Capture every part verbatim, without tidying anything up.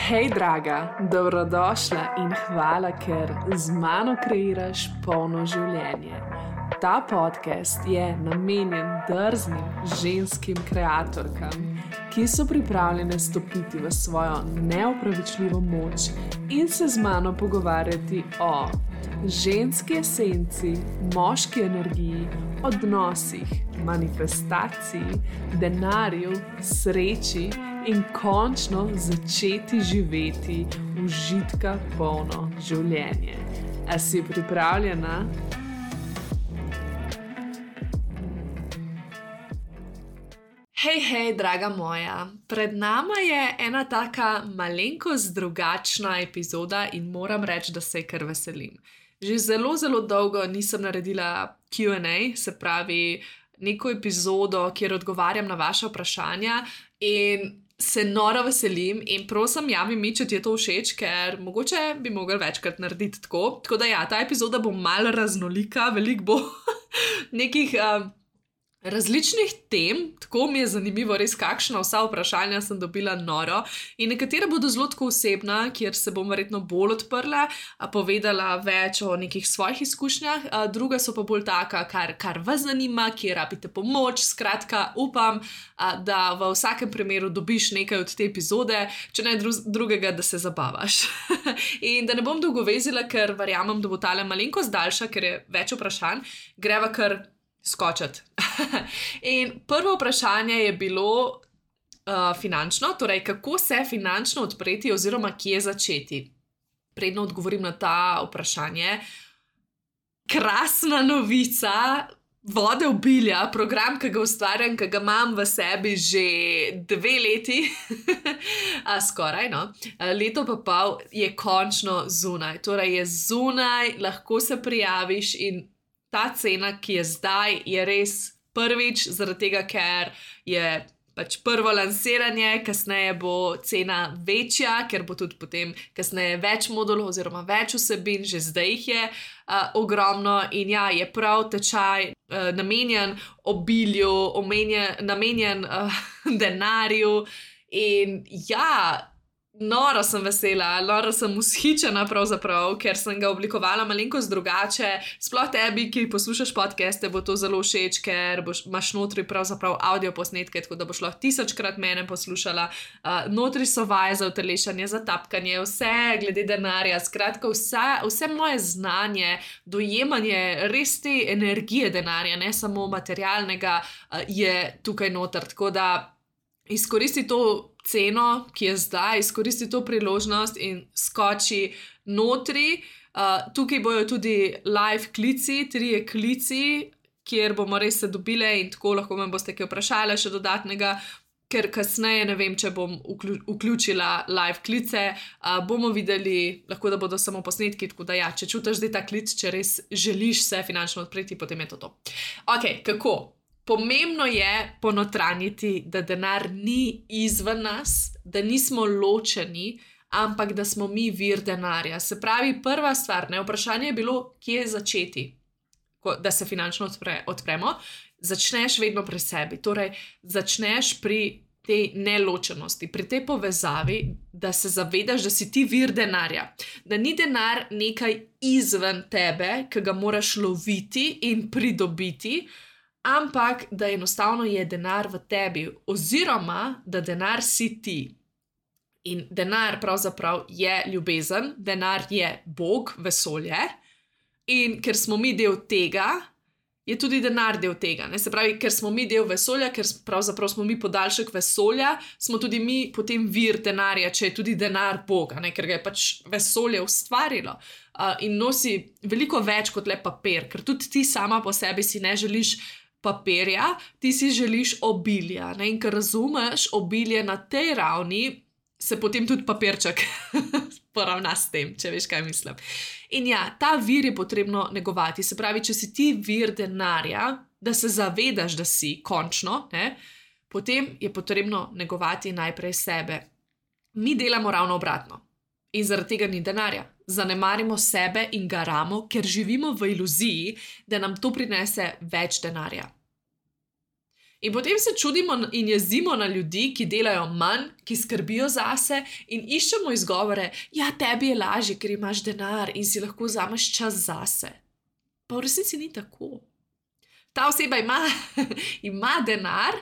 Hej, draga, dobrodošla in hvala, ker z mano kreiraš polno življenje. Ta podcast je namenjen drznim ženskim kreatorkam, ki so pripravljene stopiti v svojo neopravičljivo moč in se z mano pogovarjati o ženski esenci, moški energiji, odnosih, manifestaciji, denarju, sreči in končno začeti živeti užitka polno življenje. A si pripravljena? Hej, hej, draga moja, pred nama je ena taka malenkost drugačna epizoda in moram reči, da se kar veselim. Že zelo, zelo dolgo nisem naredila Q and A, se pravi neko epizodo, kjer odgovarjam na vaše vprašanja in se noro veselim in prosim, javi mi, če ti je to všeč, ker mogoče bi mogli večkrat narediti tako. Tako da ja, ta epizoda bo malo raznolika, veliko bo nekih uh, različnih tem, tako mi je zanimivo res, kakšna vsa vprašanja sem dobila noro in nekatera bodo zelo tako osebna, kjer se bom verjetno bolj odprla, povedala več o nekih svojih izkušnjah, druga so pa bolj taka, kar, kar vas zanima, kjer rabite pomoč, skratka upam, da v vsakem primeru dobiš nekaj od te epizode, če ne drugega, da se zabavaš. In da ne bom dolgo vezila, ker verjamem, da bo tale malenkost daljša, ker je več vprašanj, greva kar skočiti. In prvo vprašanje je bilo uh, finančno, torej kako se finančno odpreti oziroma kje začeti. Predno odgovorim na ta vprašanje. Krasna novica, Vode obilja, program, ki ga ustvarjam, ki ga imam v sebi že dve leti, A, skoraj, no. Leto pa pol je končno zunaj. Torej je zunaj, lahko se prijaviš in ta cena, ki je zdaj, je res prvič, zaradi tega, ker je pač prvo lansiranje, kasneje bo cena večja, ker bo tudi potem kasneje več modulov oziroma več vsebin, že zdaj jih je uh, ogromno in ja, je prav tečaj uh, namenjen obilju, omenjen, namenjen uh, denarju in ja, noro sem vesela, noro sem vzhičena pravzaprav, ker sem ga oblikovala malenkost drugače. Sploh tebi, ki poslušaš podcaste, bo to zelo všeč, ker boš, imaš notri pravzaprav audio posnetke, tako da boš lahko tisočkrat mene poslušala. Uh, notri so vaje za utelešanje, za tapkanje, vse glede denarja, skratka vse, vse moje znanje, dojemanje res te energije denarja, ne samo materialnega, uh, je tukaj noter, tako da izkoristi to ceno, ki je zdaj, izkoristi to priložnost in skoči notri. Uh, tukaj bojo tudi live klici, trije klici, kjer bomo res se dobile in tako lahko me boste kaj vprašali še dodatnega, ker kasneje ne vem, če bom vključila live klice, uh, bomo videli, lahko da bodo samo posnetki, tako da ja, če čutiš zdaj ta klic, če res želiš se finančno odpreti, potem je to to. Ok, kako? Pomembno je ponotranjiti, da denar ni izven nas, da nismo ločeni, ampak da smo mi vir denarja. Se pravi, prva stvar, ne, vprašanje je bilo, kje začeti, da se finančno odpre, odpremo. Začneš vedno pri sebi, torej začneš pri tej neločenosti, pri tej povezavi, da se zavedaš, da si ti vir denarja. Da ni denar nekaj izven tebe, ki ga moraš loviti in pridobiti, ampak da enostavno je denar v tebi oziroma da denar si ti. In denar pravzaprav je ljubezen, denar je Bog, vesolje in ker smo mi del tega, je tudi denar del tega. Ne? Se pravi, ker smo mi del vesolja, ker pravzaprav smo mi podaljšek vesolja, smo tudi mi potem vir denarja, če je tudi denar Boga, ne? Ker ga je pač vesolje ustvarilo uh, in nosi veliko več kot le papir, ker tudi ti sama po sebi si ne želiš papirja, ti si želiš obilja. Ne? In ker razumeš obilje na tej ravni, se potem tudi papirček poravna s tem, če veš, kaj mislim. In ja, ta vir je potrebno negovati. Se pravi, če si ti vir denarja, da se zavedaš, da si končno, ne? Potem je potrebno negovati najprej sebe. Mi delamo ravno obratno. In zaradi tega ni denarja. Zanemarimo sebe in garamo, ker živimo v iluziji, da nam to prinese več denarja. In potem se čudimo in jezimo na ljudi, ki delajo manj, ki skrbijo zase in iščemo izgovore, ja, tebi je lažje, ker imaš denar in si lahko vzameš čas zase. Pa v resnici ni tako. Ta oseba ima, ima denar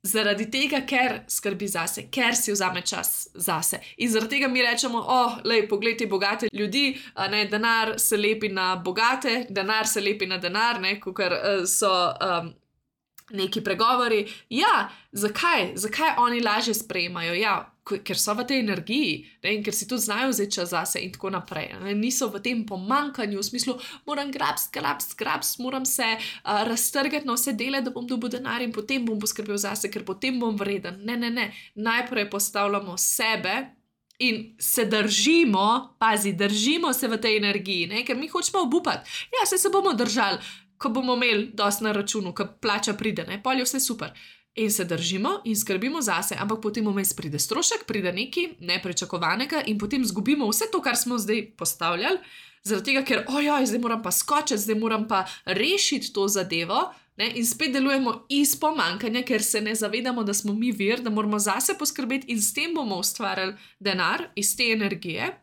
zaradi tega, ker skrbi zase, ker si vzame čas zase. In zaradi tega mi rečemo, oh, lej, poglej te bogate ljudi, ne, denar se lepi na bogate, denar se lepi na denar, ne, kakor uh, so... Um, neki pregovori, ja, zakaj, zakaj oni lažje sprejemajo, ja, ker so v tej energiji, ne, in ker si tudi znajo vzeti čas zase in tako naprej, ne, niso v tem pomankanju, v smislu, moram grabs, grabs, grabs, moram se uh, raztrgati na vse dele, da bom dobil denar in potem bom poskrbel zase, ker potem bom vreden, ne, ne, ne, najprej postavljamo sebe in se držimo, pazi, držimo se v tej energiji, ne, ker mi hočemo obupati, ja, se se bomo držali, ko bomo imeli dosti na računu, ko plača pride, ne, pol je vse super. In se držimo in skrbimo zase, ampak potem vmes pride strošek, pride nekaj nepričakovanega in potem zgubimo vse to, kar smo zdaj postavljali, zaradi tega, ker ojoj, zdaj moram pa skočiti, zdaj moram pa rešiti to zadevo, ne, in spet delujemo iz pomankanja, ker se ne zavedamo, da smo mi vir, da moramo zase poskrbeti in s tem bomo ustvarjali denar iz te energije.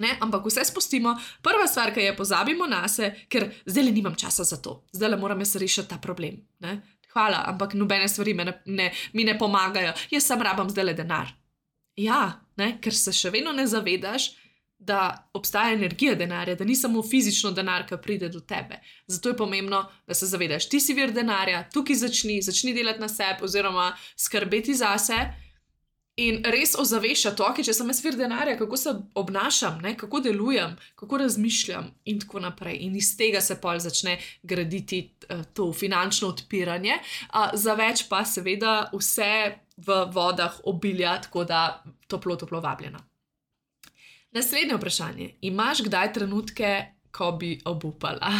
Ne, ampak vse spustimo, prva stvar, ki je pozabimo nase, ker zdaj le nimam časa za to, zdaj le moram jaz rešiti ta problem. Ne. Hvala, ampak nobene stvari me ne, ne, mi ne pomagajo, jaz sam rabam zdaj le denar. Ja, ne, ker se še vedno ne zavedaš, da obstaja energija denarja, da ni samo fizično denar, ki pride do tebe. Zato je pomembno, da se zavedaš, ti si vir denarja, tukaj začni, začni delati na sebi oziroma skrbeti zase. In res ozavešča to, če sem jaz vir denarja, kako se obnašam, ne, kako delujem, kako razmišljam in tako naprej. In iz tega se pol začne graditi uh, to finančno odpiranje. Uh, za več pa seveda vse v vodah obilja, tako da toplo, toplo vabljeno. Naslednje vprašanje. Imaš kdaj trenutke, ko bi obupala?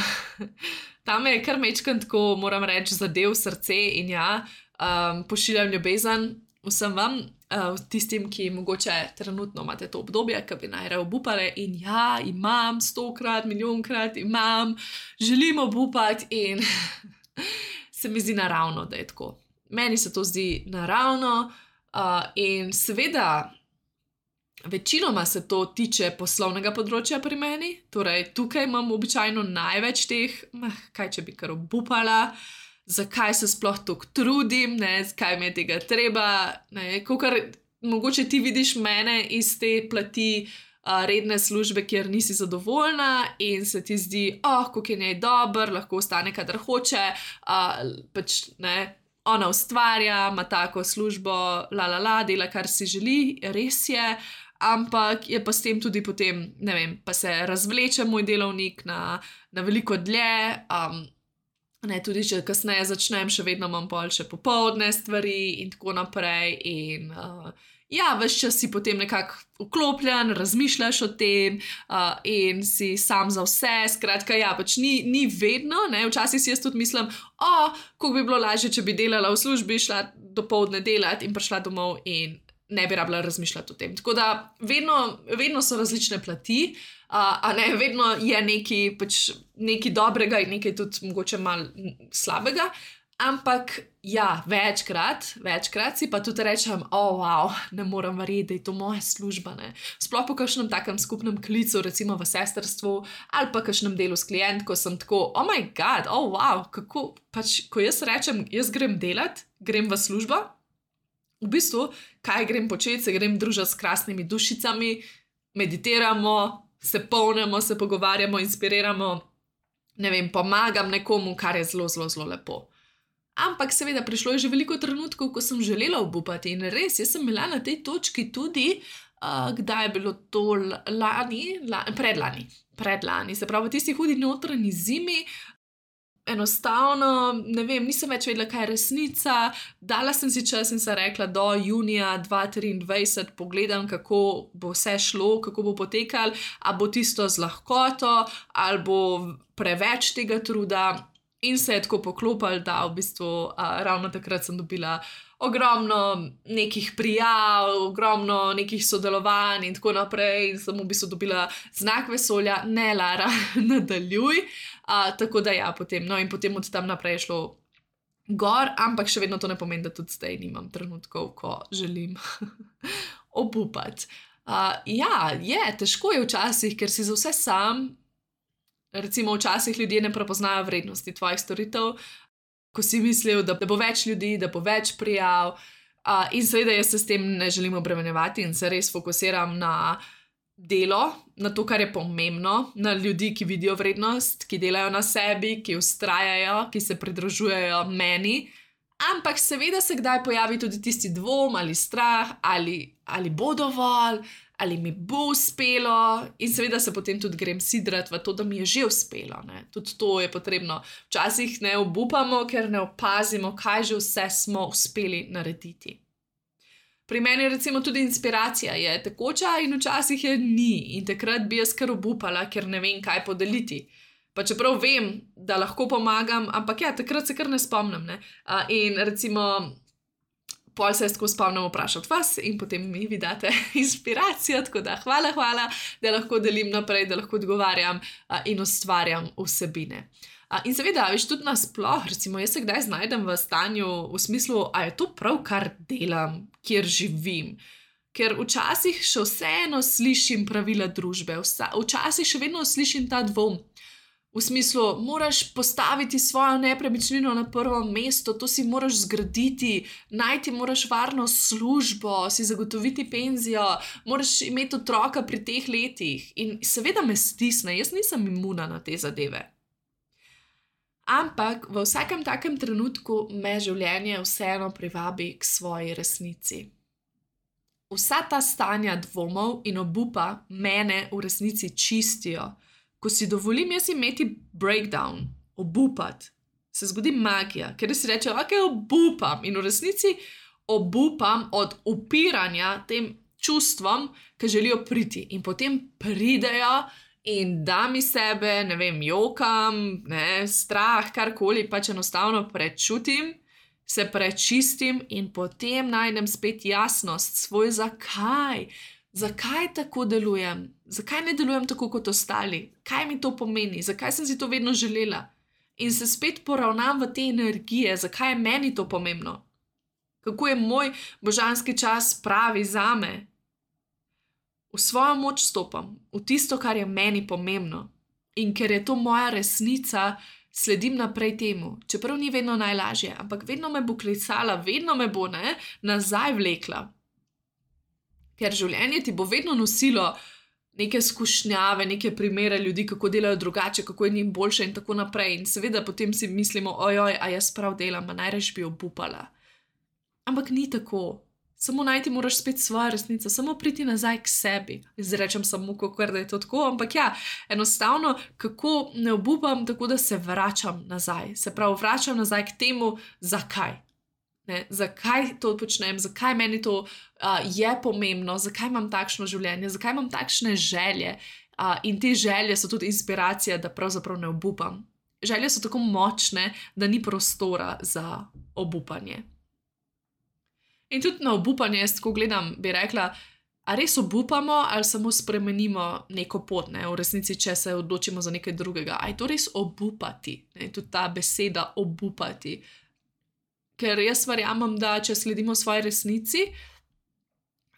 Tam je kar mečkan tako, moram reči, zadev srce in ja, um, pošiljam ljubezen vsem vam, Uh, tistim, ki mogoče trenutno imate to obdobje, ki bi najraje obupale in ja, imam stokrat, milijonkrat, imam, želim obupati in se mi zdi naravno, da je tako. Meni se to zdi naravno uh, in seveda večinoma se to tiče poslovnega področja pri meni, torej tukaj imam običajno največ teh, kaj če bi kar obupala, zakaj se sploh toliko trudim, ne, zakaj mi je tega treba, ne, kakor mogoče ti vidiš mene iz te plati uh, redne službe, kjer nisi zadovoljna in se ti zdi, oh, kako je njej dober, lahko ostane, kadar hoče, uh, pač, ne, ona ustvarja, ima tako službo, la, la, la, dela, kar si želi, res je, ampak je pa s tem tudi potem, ne vem, pa se razvleče moj delovnik na, na veliko dlje, um, ne, tudi če kasneje začnem, še vedno imam pol še popoldne stvari in tako naprej in uh, ja, ves čas si potem nekako vklopljen, razmišljaš o tem uh, in si sam za vse, skratka, ja, pač ni, ni vedno, ne, včasih si jaz tudi mislim, o, kako bi bilo lažje, če bi delala v službi, šla dopoldne delati in prišla domov in ne bi rabila razmišljati o tem. Tako da vedno, vedno so različne plati, uh, a ne, vedno je nekaj, pač, nekaj dobrega in nekaj tudi mogoče malo slabega, ampak ja, večkrat, večkrat si pa tudi rečem, o, oh, wow, ne moram verjeti, da je to moja služba, ne. Sploh po kakšnem takem skupnem klicu, recimo v sestrstvu, ali pa kakšnem delu s klientko, sem tako, oh my god, oh wow, kako, pač, ko jaz rečem, jaz grem delat, grem v službo, v bistvu, kaj grem početi, se grem družiti s krasnimi dušicami, meditiramo, se polnemo, se pogovarjamo, inspiriramo, ne vem, pomagam nekomu, kar je zelo, zelo, zelo lepo. Ampak seveda prišlo je že veliko trenutkov, ko sem želela obupati in res, jaz sem bila na tej točki tudi, uh, kdaj je bilo to lani, la, predlani, predlani, se pravi v tisti hudi notranji zimi, enostavno, ne vem, nisem več vedela, kaj je resnica, dala sem si čas in sem rekla, do junija dva tisoč triindvajset pogledam, kako bo vse šlo, kako bo potekalo, a bo tisto z lahkoto, ali bo preveč tega truda in se je tako poklopilo, da v bistvu a, ravno takrat sem dobila ogromno nekih prijav, ogromno nekih sodelovanj in tako naprej in sem v bistvu dobila znak vesolja, ne Lara, nadaljuj. Uh, tako da ja, potem, no in potem od tam naprej je šlo gor, ampak še vedno to ne pomeni, da tudi zdaj nimam trenutkov, ko želim obupati. Uh, ja, je, težko je včasih, ker si za vse sam, recimo včasih ljudje ne prepoznajo vrednosti tvojih storitev, ko si mislil, da, da bo več ljudi, da bo več prijav, uh, in seveda jaz se s tem ne želim obremenjevati in se res fokusiram na delo, na to, kar je pomembno, na ljudi, ki vidijo vrednost, ki delajo na sebi, ki vztrajajo, ki se pridružujejo meni, ampak seveda se kdaj pojavi tudi tisti dvom ali strah, ali, ali bo dovolj, ali mi bo uspelo, in seveda se potem tudi grem sidrati v to, da mi je že uspelo. Ne? Tudi to je potrebno. Včasih ne obupamo, ker ne opazimo, kaj že vse smo uspeli narediti. Pri meni recimo tudi inspiracija je tekoča in včasih je ni in takrat bi jaz kar obupala, ker ne vem, kaj podeliti. Pa čeprav vem, da lahko pomagam, ampak ja, takrat se kar ne spomnim. Ne? Uh, in recimo, pol se jaz tako spomnim vprašati vas in potem mi vi date inspiracijo, tako da hvala, hvala, da lahko delim naprej, da lahko odgovarjam uh, in ustvarjam vsebine. Uh, in seveda, veš, tudi nasploh, recimo, jaz se kdaj znajdem v stanju v smislu, a je to prav, kar delam, kjer živim. Ker včasih še vseeno slišim pravila družbe, vsa, včasih še vedno slišim ta dvom. V smislu, moraš postaviti svojo nepremičnino na prvo mesto, to si moraš zgraditi, najti moraš varno službo, si zagotoviti penzijo, moraš imeti otroka pri teh letih. In seveda me stisne, jaz nisem imuna na te zadeve. Ampak v vsakem takem trenutku me življenje vseeno privabi k svoji resnici. Vsa ta stanja dvomov in obupa mene v resnici čistijo. Ko si dovolim jaz imeti breakdown, obupati, se zgodi magija, ker si reče, ok, obupam in v resnici obupam od upiranja tem čustvom, ki želijo priti in potem pridejo in dam iz sebe, ne vem, jokam, ne, strah, karkoli, pač enostavno prečutim, se prečistim in potem najdem spet jasnost svoj zakaj. Zakaj tako delujem? Zakaj ne delujem tako kot ostali? Kaj mi to pomeni? Zakaj sem si to vedno želela? In se spet poravnam v te energije, zakaj je meni to pomembno? Kako je moj božanski čas pravi zame? V svojo moč stopam, v tisto, kar je meni pomembno. In ker je to moja resnica, sledim naprej temu. Čeprav ni vedno najlažje, ampak vedno me bo klicala, vedno me bo, ne, nazaj vlekla. Ker življenje ti bo vedno nosilo neke skušnjave, neke primere ljudi, kako delajo drugače, kako je njim boljše in tako naprej. In seveda potem si mislimo, ojoj, a jaz prav delam, a najraje bi obupala. Ampak ni tako. Samo najti moraš spet svojo resnico, samo priti nazaj k sebi. Izrečem samo, kakor da je to tako, ampak ja, enostavno, kako ne obupam, tako da se vračam nazaj. Se pravi, vračam nazaj k temu, zakaj. Ne, zakaj to počnem, zakaj meni to uh, je pomembno, zakaj imam takšno življenje, zakaj imam takšne želje uh, in te želje so tudi inspiracija, da pravzaprav ne obupam. Želje so tako močne, da ni prostora za obupanje. In tudi na obupanje, jaz tako gledam, bi rekla, a res obupamo ali samo spremenimo neko pot, ne? V resnici, če se odločimo za nekaj drugega. A je to res obupati? Ne? Tudi ta beseda obupati. Ker jaz verjamem, da če sledimo svoji resnici,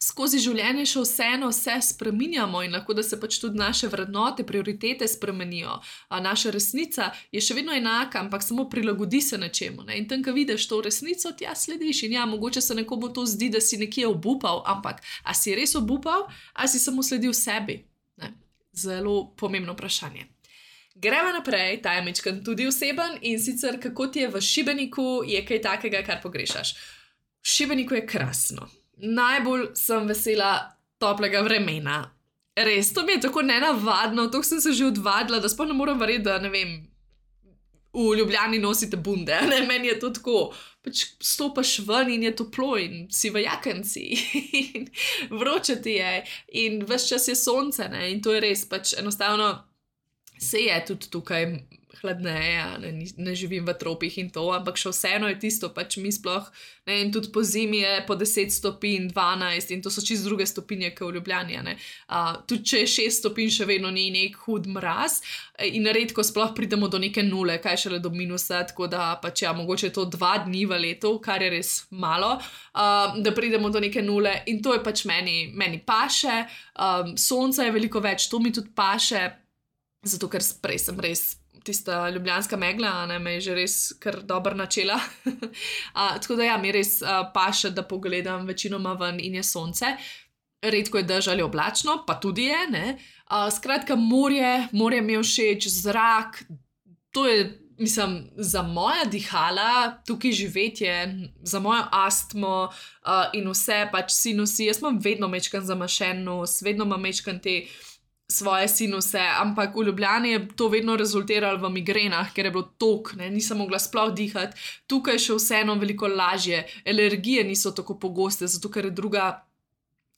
skozi življenje še vseeno vse spreminjamo in lahko, da se pač tudi naše vrednote, prioritete spremenijo. A naša resnica je še vedno enaka, ampak samo prilagodi se nečemu. Ne? In tam, ko vidiš to resnico, ti ja slediš. In ja, mogoče se nekomu to zdi, da si nekje obupal, ampak a si res obupal, a si samo sledil sebi? Ne? Zelo pomembno vprašanje. Gremo naprej, ta je majčkeno tudi oseben in sicer kako ti je v Šibeniku, je kaj takega, kar pogrešaš. V Šibeniku je krasno. Najbolj sem vesela toplega vremena. Res, to mi je tako nenavadno, tako sem se že odvadila, da sploh ne moram verjeti, da ne vem, v Ljubljani nosite bunde, ne, meni je to tako, pač stopaš ven in je toplo in si v jakenci in vroče ti je in ves čas je sonce, ne, in to je res, pač enostavno se je tudi tukaj hladneje, ne, ne živim v tropih in to, ampak še vseeno je tisto, pač mi sploh, ne, in tudi po zimi je po deset stopinj, dvanajst in to so čisto druge stopinje, kot v Ljubljani, ne. Uh, tudi če je šest stopinj, še vedno ni nek hud mraz in redko sploh pridemo do neke nule, kaj šele do minusa, tako da pač ja, mogoče je to dva dni v letu, kar je res malo, uh, da pridemo do neke nule in to je pač meni, meni paše, um, sonca je veliko več, to mi tudi paše, zato ker prej sem res tista ljubljanska megla, ne, me je že res kar dobro načela. uh, tako da ja, mi res uh, paše, da pogledam večinoma ven in je sonce. Redko je dež ali oblačno, pa tudi je, ne. Uh, skratka, morje, morje mi je všeč, zrak, to je, mislim, za moja dihala, tukaj živetje, za mojo astmo uh, in vse pač sinusi, jaz imam vedno mečkan zamašen nos, vedno imam mečkan te svoje sinuse, ampak v Ljubljani je to vedno rezultiralo v migrenah, ker je bilo tok, ne, nisem mogla sploh dihati. Tukaj še vseeno veliko lažje, alergije niso tako pogoste, zato ker je druga,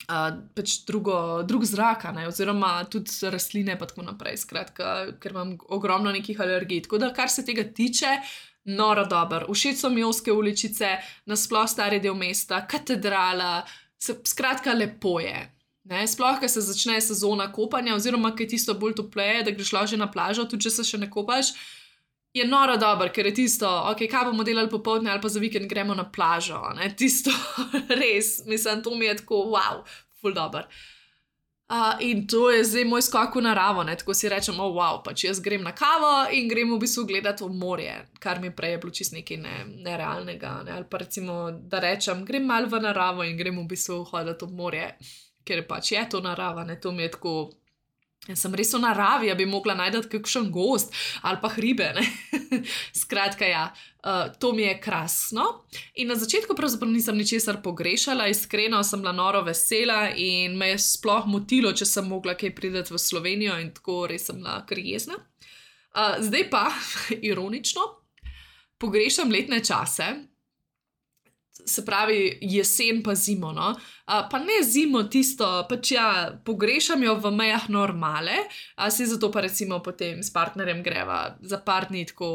uh, pač drugo, drug zraka, ne, oziroma tudi rastline pa tako naprej, skratka, ker imam ogromno nekih alergij. Tako da, kar se tega tiče, noro dober. Všeč so mi ozke uličice, nasploh stari del mesta, katedrala, se, skratka, lepo je. Ne, sploh, ko se začne sezona kopanja, oziroma, ko je tisto bolj topleje, da greš lahko že na plažo, tudi če se še ne kopaš, je noro dober, ker je tisto, ok, kaj bomo delali popoldne ali pa za vikend gremo na plažo, ne, tisto res, mislim, to mi je tako, wow, ful dober. Uh, in to je zdaj moj skok v naravo, ne, tako si rečem, oh, wow, pač jaz grem na kavo in grem v bistvu gledati v morje, kar mi prej je bilo čist nekaj ne, nerealnega, ne, ali pa recimo, da rečem, grem malo v naravo in grem v bistvu hoditi v morje, ker pač je to narava, ne, to mi je tako, jaz sem res v naravi, ja bi mogla najdati kakšen gost, ali pa hribe, ne, skratka, ja, uh, to mi je krasno in na začetku pravzaprav nisem ničesar pogrešala, iskreno sem bila noro vesela in me je sploh motilo, če sem mogla kaj priti v Slovenijo in tako res sem bila kar jezna. Uh, zdaj pa, ironično, pogrešam letne čase, se pravi jesen pa zimo, no. Uh, pa ne zimo tisto, pač ja, pogrešam jo v mejah normale, uh, si zato pa recimo potem s partnerjem greva za par dni tako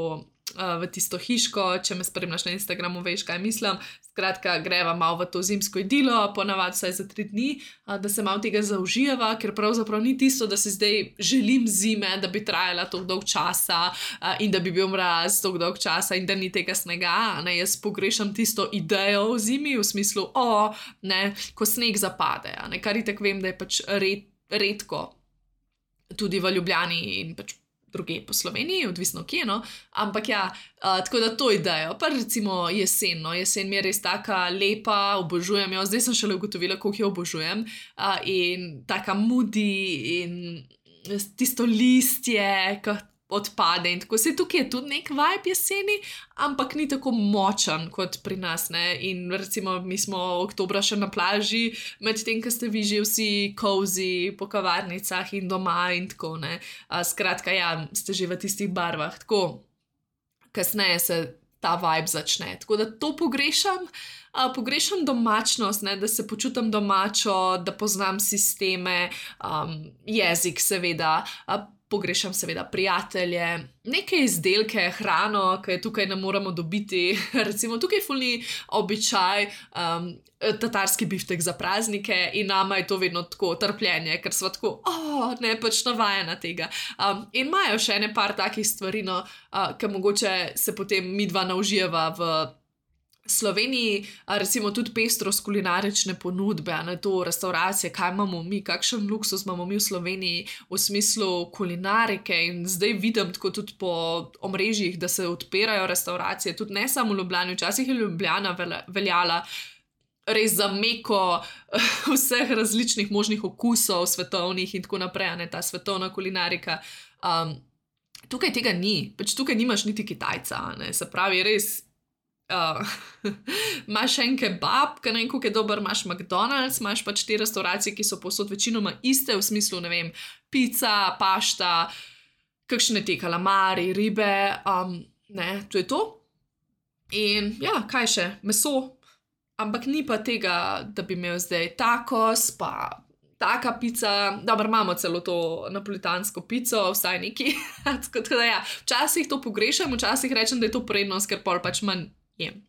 uh, v tisto hiško, če me spremljaš na Instagramu, veš, kaj mislim, skratka, greva malo v to zimsko idilo, ponavadi vsaj za tri dni, uh, da se malo tega zaužijeva, ker pravzaprav ni tisto, da si zdaj želim zime, da bi trajala toliko dolg časa uh, in da bi bil mraz toliko dolg časa in da ni tega snega, ne, jaz pogrešam tisto idejo v zimi, v smislu, o, ne, ko sneg zapade, ne, kar itak vem, da je pač red, redko tudi v Ljubljani in pač druge po Sloveniji, odvisno kje, no, ampak ja, uh, tako da to idejo, pa recimo jesen, no, jesen mi je res taka lepa, obožujem jo, zdaj sem šele ugotovila, koliko jo obožujem, uh, in taka moody in tisto listje, ki odpade in tako se tukaj je tudi nek vibe jeseni, ampak ni tako močan kot pri nas, ne, in recimo mi smo oktobra še na plaži, medtem, ko ste vi že vsi cozy po kavarnicah in doma in tako, ne, a, skratka, ja, ste že v tistih barvah, tako, kasneje se ta vibe začne, tako da to pogrešam, a, pogrešam domačnost, ne, da se počutim domačo, da poznam sisteme, um, jezik seveda, a, pogrešam seveda prijatelje, neke izdelke, hrano, ki je tukaj ne moramo dobiti, recimo tukaj fulni običaj, um, tatarski biftek za praznike in nama je to vedno tako trpljenje, ker smo tako, oh, ne, pač navajena tega. Um, in imajo še ene par takih stvari, no, uh, ki mogoče se potem midva naužijeva v Sloveniji, recimo tudi pestrost kulinarične ponudbe, ne, to restauracije, kaj imamo mi, kakšen luksus imamo mi v Sloveniji v smislu kulinarike in zdaj vidim tako tudi po omrežjih, da se odpirajo restauracije, tudi ne samo v Ljubljani, včasih je Ljubljana veljala res za meko vseh različnih možnih okusov, svetovnih in tako naprej, ne, ta svetovna kulinarika. Um, tukaj tega ni, pač tukaj nimaš niti Kitajca, ne, se pravi res, Uh, imaš en kebab, ki ne vem, koliko je dober, imaš McDonald's, imaš pač te restauracije, ki so povsod večinoma iste, v smislu, ne vem, pica, pašta, kakšne te kalamari, ribe, um, ne, to je to. In ja, kaj še, meso, ampak ni pa tega, da bi imel zdaj tacos, pa taka pica, dobro, imamo celo to napolitansko pico, vsaj neki. Tako da ja, včasih to pogrešam, včasih rečem, da je to prednost, ker pol pač manj jem.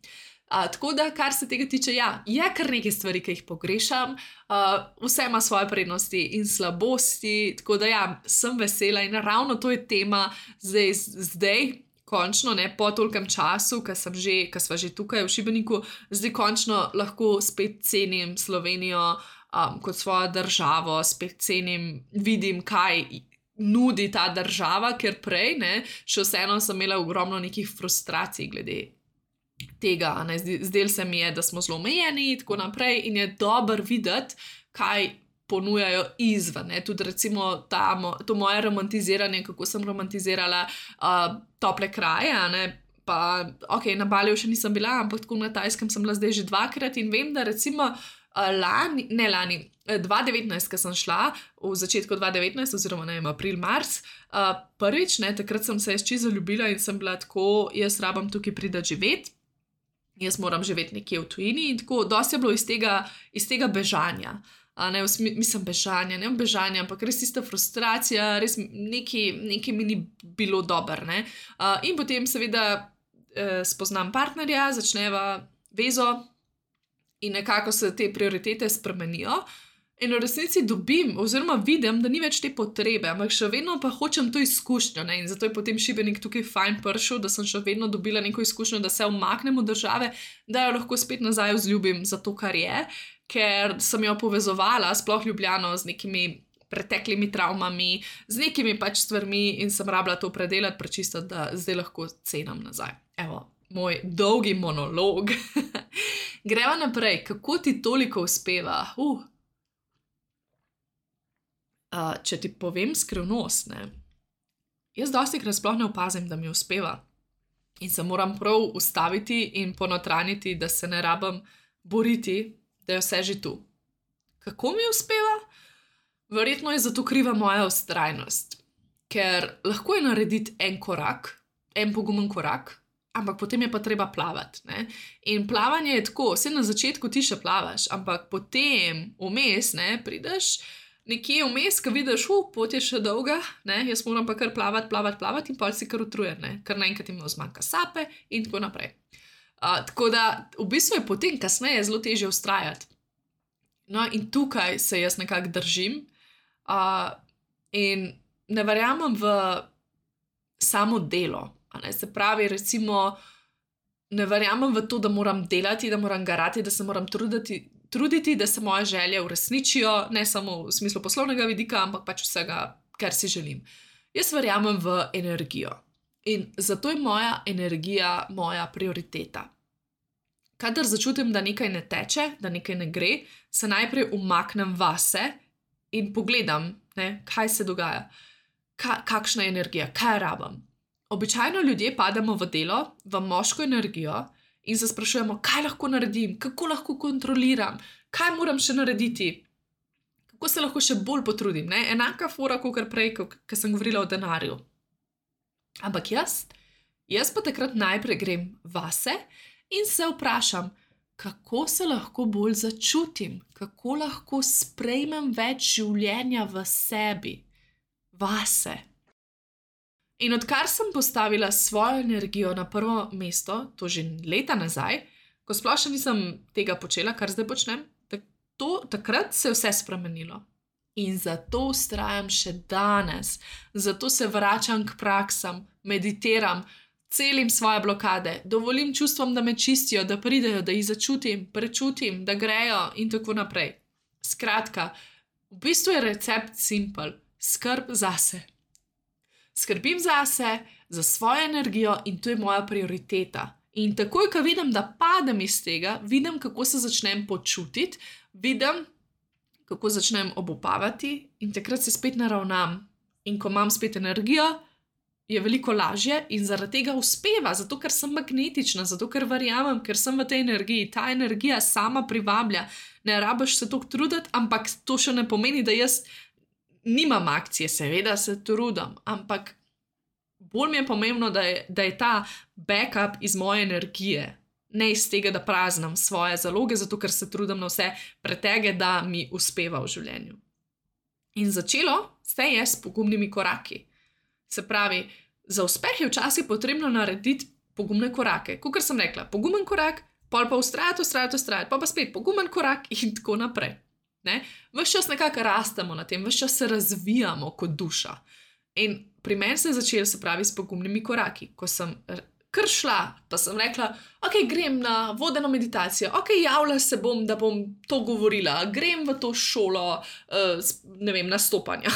Uh, tako da, kar se tega tiče, ja, je kar nekaj stvari, ki jih pogrešam, uh, vse ima svoje prednosti in slabosti, tako da ja, sem vesela in ravno to je tema zdaj, zdaj končno, ne, po tolkem času, ko sem že, ko sva že tukaj v Šibeniku, zdaj končno lahko spet cenim Slovenijo um, kot svojo državo, spet cenim, vidim, kaj nudi ta država, ker prej, ne, še vseeno sem imela ogromno nekih frustracij glede tega, ne, zdel se mi je, da smo zelo omejeni in tako naprej in je dobro videti, kaj ponujajo izven, ne, tudi recimo ta, to moje romantiziranje, kako sem romantizirala uh, tople kraje, ne, pa ok, na Baliju še nisem bila, ampak tako na Tajskem sem bila zdaj že dvakrat in vem, da recimo uh, lani, ne lani, dva devetnajst, ko sem šla, v začetku dva devetnajst, oziroma ne vem, april, mars, uh, prvič, ne, takrat sem se jaz čisto zaljubila in sem bila tako, jaz rabam tukaj pridati živeti, jaz moram živeti nekje v tujini in tako, dosti je bilo iz tega, iz tega bežanja. A ne, mislim, bežanja, ne bežanja, ampak res tista frustracija, res neki, neki mi ni bilo dobro, ne. Uh, in potem seveda eh, spoznam partnerja, začneva vezo in nekako se te prioritete spremenijo in v resnici dobim oziroma vidim, da ni več te potrebe, ampak še vedno pa hočem to izkušnjo, ne, in zato je potem Šibenik tukaj fajn prišel, da sem še vedno dobila neko izkušnjo, da se umaknem od države, da jo lahko spet nazaj vzljubim za to, kar je, ker sem jo povezovala, sploh Ljubljano, z nekimi preteklimi travmami, z nekimi pač stvarmi in sem rabila to predelati, prečistiti, da zdaj lahko cenam nazaj. Evo, moj dolgi monolog. Greva naprej, kako ti toliko uspeva? Uh. Uh, če ti povem skrivnost, ne, jaz dostikrat sploh ne opazim, da mi uspeva in se moram prav ustaviti in ponotraniti, da se ne rabim boriti, da je vse že tu. Kako mi uspeva? Verjetno je zato kriva moja vztrajnost, ker lahko je narediti en korak, en pogumen korak, ampak potem je pa treba plavati, ne. In plavanje je tako, vse na začetku ti še plavaš, ampak potem vmes, ne, prideš nekje vmes, ko vidiš, uh, pot je še dolga, ne, jaz moram pa kar plavati, plavati, plavati in pol si kar utrujen, ne, ker naenkrat ima zmanjka sape in tako naprej. Uh, tako da v bistvu je potem kasneje zelo težje vztrajati. No in tukaj se jaz nekako držim uh, in ne verjamem v samo delo, a ne, se pravi recimo ne verjamem v to, da moram delati, da moram garati, da se moram truditi, truditi, da se moje želje uresničijo, ne samo v smislu poslovnega vidika, ampak pač vsega, kar si želim. Jaz verjamem v energijo in zato je moja energija moja prioriteta. Kadar začutim, da nekaj ne teče, da nekaj ne gre, se najprej umaknem vase in pogledam, ne, kaj se dogaja, Ka, kakšna je energija, kaj rabim. Običajno ljudje pademo v delo, v moško energijo, in se sprašujemo, kaj lahko naredim, kako lahko kontroliram, kaj moram še narediti, kako se lahko še bolj potrudim, ne? Enaka fora, kakor prej, ko sem govorila o denarju. Ampak jaz, jaz pa takrat najprej grem vase in se vprašam, kako se lahko bolj začutim, kako lahko sprejmem več življenja v sebi, vase. In odkar sem postavila svojo energijo na prvo mesto, to že leta nazaj, ko sploh še nisem tega počela, kar zdaj počnem, to, takrat se je vse spremenilo. In zato vztrajam še danes, zato se vračam k praksam, meditiram, celim svoje blokade, dovolim čustvom, da me čistijo, da pridejo, da jih začutim, prečutim, da grejo in tako naprej. Skratka, v bistvu je recept simpel, skrb zase. Skrbim zase, za svojo energijo in to je moja prioriteta. In takoj, ko vidim, da padem iz tega, vidim, kako se začnem počutiti, vidim, kako začnem obupavati in takrat se spet naravnam. In ko imam spet energijo, je veliko lažje in zaradi tega uspeva, zato ker sem magnetična, zato ker verjamem, ker sem v tej energiji. Ta energija sama privablja. Ne rabiš se toliko truditi, ampak to še ne pomeni, da jaz nimam akcije, seveda se trudim, ampak bolj mi je pomembno, da je, da je ta backup iz moje energije, ne iz tega, da praznim svoje zaloge, zato ker se trudim na vse pretege, da mi uspeva v življenju. In začelo se je s pogumnimi koraki. Se pravi, za uspeh je včasih potrebno narediti pogumne korake. Kakor sem rekla, pogumen korak, pol pa ustrajati, ustrajati, ustrajati, pa pa spet pogumen korak in tako naprej. Ne? Ves čas nekako rastemo na tem, ves čas se razvijamo kot duša. In pri meni se je začelo, se pravi, s pogumnimi koraki. Ko sem kar šla, pa sem rekla, ok, grem na vodeno meditacijo, ok, javila se bom, da bom to govorila, grem v to šolo, uh, ne vem, nastopanja.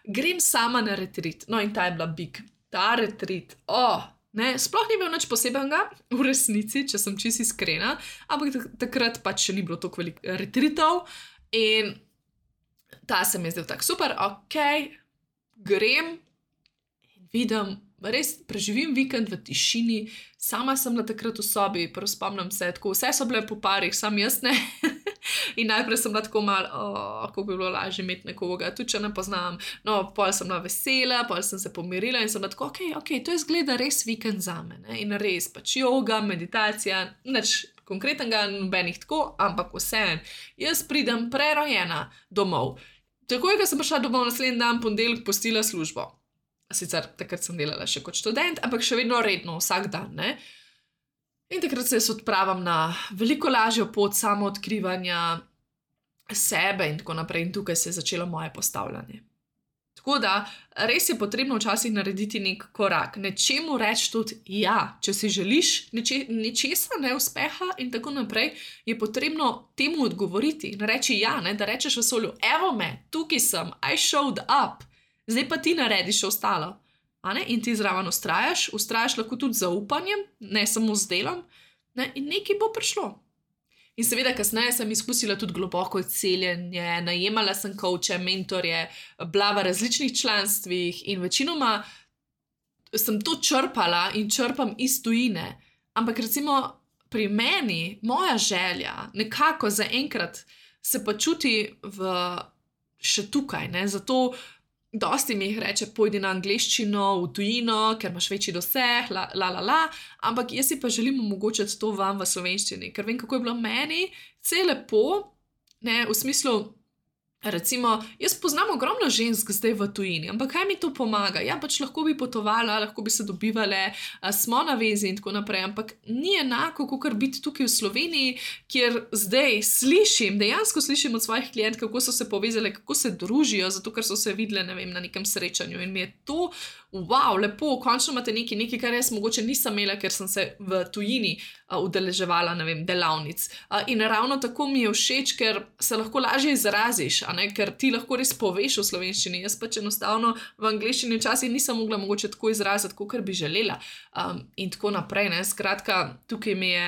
Grem sama na retreat. No in ta je bila big. Ta retreat, oh, ne, sploh ni bil nič posebenega, v resnici, če sem čisto iskrena, ampak takrat pač še ni bilo toliko veliko retreatov in ta se mi je zdel tako super, ok, grem in vidim, res preživim vikend v tišini, sama sem bila takrat v sobi, prvo spomnim se, tako vse so bile po parih, sam jaz ne. In najprej sem bila tako malo, oh, kako bi bilo lažje imeti nekoga, tudi če ne poznam. No, pol sem bila vesela, pol sem se pomirila in sem bila tako, ok, ok, to je zgleda res vikend zame, ne? In res pač joga, meditacija, nič konkretnega, nobenih tako, ampak vseeno. Jaz pridem prerojena domov. Takoj, ko sem prišla domov, naslednji dan, ponedeljek, pustila službo. Sicer takrat sem delala še kot študent, ampak še vedno redno, vsak dan, ne. In takrat se jaz odpravim na veliko lažjo pot samoodkrivanja sebe in tako naprej. In tukaj se je začelo moje postavljanje. Tako da, res je potrebno včasih narediti nek korak. Nečemu reči tudi ja. Če si želiš neče, nečesa, ne uspeha in tako naprej, je potrebno temu odgovoriti in reči ja, ne, da rečeš vesolju, evo me, tukaj sem, I showed up. Zdaj pa ti narediš ostalo. A ne? In ti zraven ustrajaš, ustrajaš lahko tudi z zaupanjem, ne samo z delom, ne? In nekaj bo prišlo. In seveda kasneje sem izkusila tudi globoko celjenje, najemala sem coache, mentorje, bila v različnih članstvih in večinoma sem to črpala in črpam iz tujine. Ampak recimo pri meni, moja želja nekako zaenkrat se pa čuti v še tukaj, ne? Zato dosti mi jih reče, pojdi na angleščino, v tujino, ker imaš večji doseg, la, la, la, la, ampak jaz si pa želim omogočiti to vam v slovenščini, ker vem, kako je bilo meni, vse je lepo, ne, v smislu, recimo, jaz poznam ogromno žensk zdaj v tujini, ampak kaj mi to pomaga? Ja, pač lahko bi potovala, lahko bi se dobivale, smo na vezi in tako naprej, ampak ni enako, kakor biti tukaj v Sloveniji, kjer zdaj slišim, dejansko slišim od svojih klientk, kako so se povezale, kako se družijo, zato ker so se videle, ne vem, na nekem srečanju in mi je to, wow, lepo, končno imate nekaj, nekaj, kar jaz mogoče nisem imela, ker sem se v tujini uh, udeleževala, ne vem, delavnic. Uh, in ravno tako mi je všeč, ker se lahko lažje izraziš, a ne, ker ti lahko res poveš v slovenščini. Jaz pač enostavno v angleščini včasih nisem mogla mogoče tako izraziti, kakor bi želela. Um, in tako naprej, ne, skratka, tukaj mi je,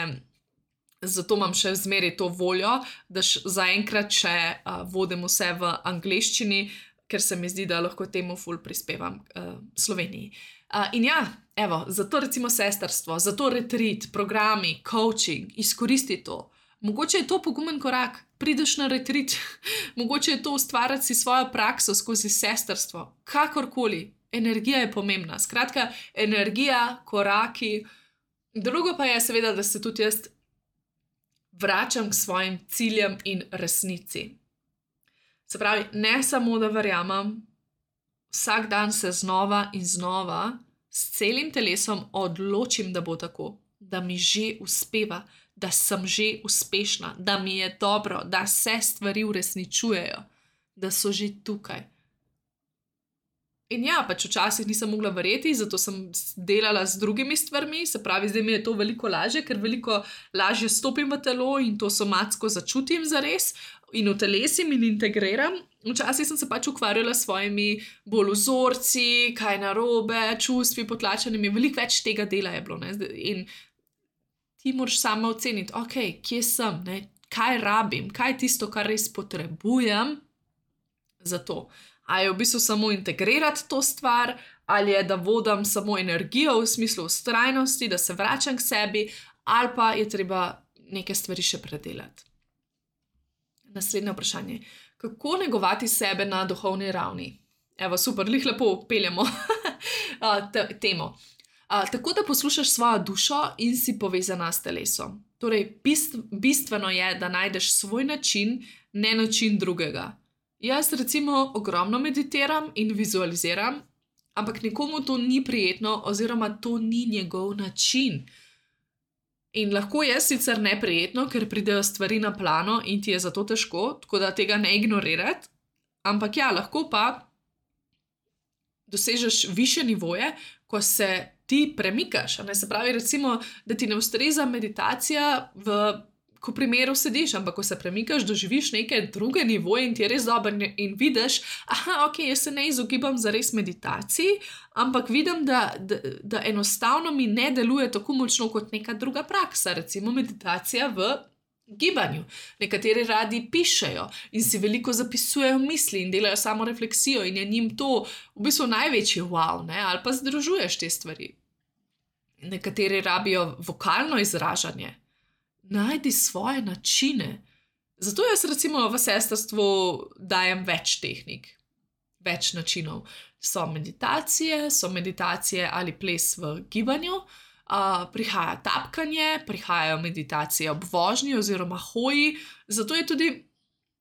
zato imam še zmeraj to voljo, da zaenkrat še uh, vodim vse v angleščini, ker se mi zdi, da lahko temu ful prispevam uh, Sloveniji. Uh, in ja, evo, zato recimo sestrstvo, zato retreat, programi, coaching, izkoristi to. Mogoče je to pogumen korak, prideš na retreat, mogoče je to ustvarjati si svojo prakso skozi sestrstvo, kakorkoli, energija je pomembna. Skratka, energija, koraki. Drugo pa je seveda, da se tudi jaz vračam k svojim ciljem in resnici. Se pravi, ne samo, da verjamem, vsak dan se znova in znova s celim telesom odločim, da bo tako, da mi že uspeva, da sem že uspešna, da mi je dobro, da se stvari uresničujejo, da so že tukaj. In ja, pač včasih nisem mogla verjeti, zato sem delala z drugimi stvarmi, se pravi, zdaj mi je to veliko lažje, ker veliko lažje stopim v telo in to somatsko začutim zares in utelesim in integriram. Včasih sem se pač ukvarjala s svojimi bolj vzorci, kaj narobe, čustvi potlačenimi, veliko več tega dela je bilo, ne? In ti moraš sama oceniti, ok, kje sem, ne? Kaj rabim, kaj je tisto, kar res potrebujem za to. A je v bistvu samo integrirati to stvar, ali je, da vodim samo energijo v smislu vztrajnosti, da se vračam k sebi, ali pa je treba neke stvari še predelati. Naslednje vprašanje. Kako negovati sebe na duhovni ravni? Evo, super, lih lepo peljemo temo. A, tako da poslušaš svojo dušo in si povezana s telesom. Torej, bist, bistveno je, da najdeš svoj način, ne način drugega. Jaz recimo ogromno meditiram in vizualiziram, ampak nekomu to ni prijetno oziroma to ni njegov način. In lahko je sicer neprijetno, ker pridejo stvari na plano in ti je zato težko, tako da tega ne ignorirati, ampak ja, lahko pa dosežeš višje nivoje, ko se ti premikaš. Ne? Se pravi, recimo, da ti ne ustreza meditacija, v ko primeru sediš, ampak ko se premikaš, doživiš neke druge nivoje in ti je res dobro in vidiš, aha, ok, jaz se ne izogibam za res meditaciji, ampak vidim, da, da, da enostavno mi ne deluje tako močno kot neka druga praksa, recimo meditacija v gibanju. Nekateri radi pišejo in si veliko zapisujejo misli in delajo samo refleksijo in je njim to v bistvu največji wow, ne? Ali pa združuješ te stvari. Nekateri rabijo vokalno izražanje. Najdi svoje načine. Zato jaz recimo v sestrstvu dajem več tehnik, več načinov. So meditacije, so meditacije ali ples v gibanju, uh, prihaja tapkanje, prihajajo meditacije ob vožnji oziroma hoji, zato je tudi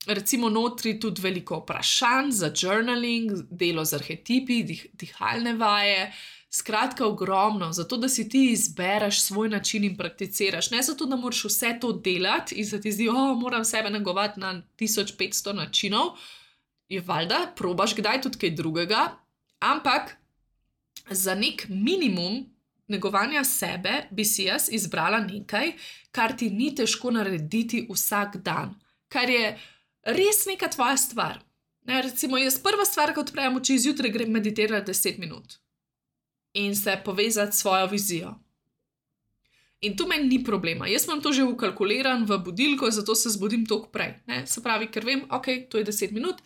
recimo notri tudi veliko vprašanj za journaling, delo z arhetipi, dih, dihalne vaje, skratka ogromno, zato da si ti izbereš svoj način in prakticiraš. Ne zato, da moraš vse to delati in se ti zdi, oh, moram sebe negovati na tisoč petsto načinov, je valjda, probaš kdaj tudi kaj drugega, ampak za nek minimum negovanja sebe bi si jaz izbrala nekaj, kar ti ni težko narediti vsak dan, kar je res neka tvoja stvar. Ne, recimo, jaz prva stvar, ko odprem oči, zjutraj grem meditirati deset minut. In se povezati s svojo vizijo. In tu meni ni problema. Jaz imam to že vkalkuliran v budilko, zato se zbudim toliko prej. Ne? Se pravi, ker vem, ok, to je deset minut,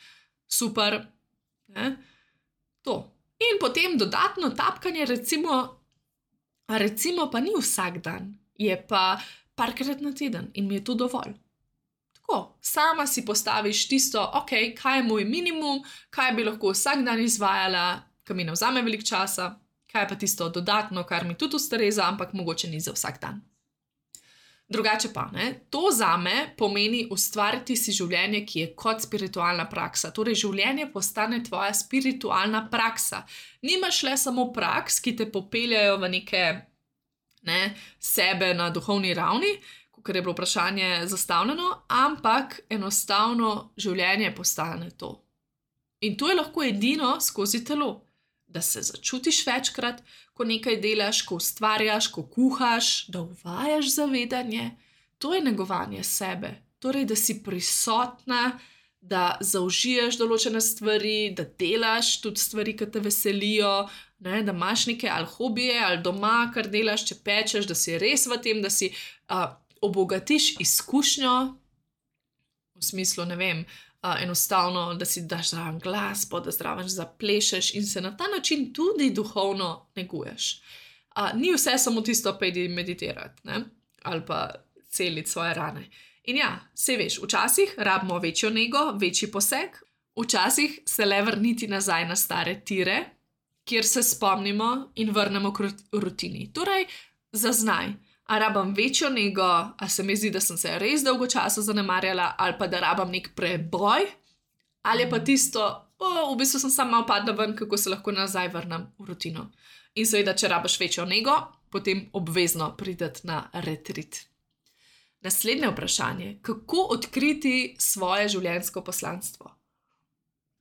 super. Ne? To. In potem dodatno tapkanje, recimo, recimo pa ni vsak dan, je pa parkrat na teden in mi je to dovolj. Tako, sama si postaviš tisto, ok, kaj je moj minimum, kaj bi lahko vsak dan izvajala, kaj mi ne vzame veliko časa, kaj je pa tisto dodatno, kar mi tudi ustreza, ampak mogoče ni za vsak dan. Drugače pa, ne, to zame pomeni ustvariti si življenje, ki je kot spiritualna praksa. Torej, življenje postane tvoja spiritualna praksa. Nimaš le samo praks, ki te popeljajo v neke ne, sebe na duhovni ravni, ker je bilo vprašanje zastavljeno, ampak enostavno življenje postane to. In to je lahko edino skozi telo. Da se začutiš večkrat, ko nekaj delaš, ko ustvarjaš, ko kuhaš, da uvajaš zavedanje. To je negovanje sebe. Torej, da si prisotna, da zaužiješ določene stvari, da delaš tudi stvari, ki te veselijo, ne, da imaš neke ali hobije, ali doma, kar delaš, če pečeš, da si res v tem, da si uh, obogatiš izkušnjo, v smislu, ne vem, Uh, enostavno, da si daš zraven glasbo, da zraven zaplešeš in se na ta način tudi duhovno neguješ. Uh, ni vse samo tisto, pejdi meditirati, ne? Ali pa celiti svoje rane. In ja, saj veš, včasih rabimo večjo nego, večji poseg, včasih se le vrniti nazaj na stare tire, kjer se spomnimo in vrnemo k rutini. Torej, zaznaj. A rabam večjo nego, a se mi zdi, da sem se res dolgo časa zanemarjala, ali pa da rabam nek preboj, ali je pa tisto, oh, v bistvu sem sama upadla ven, kako se lahko nazaj vrnem v rutino. In seveda, če rabaš večjo nego, potem obvezno prideti na retrit. Naslednje vprašanje, kako odkriti svoje življenjsko poslanstvo?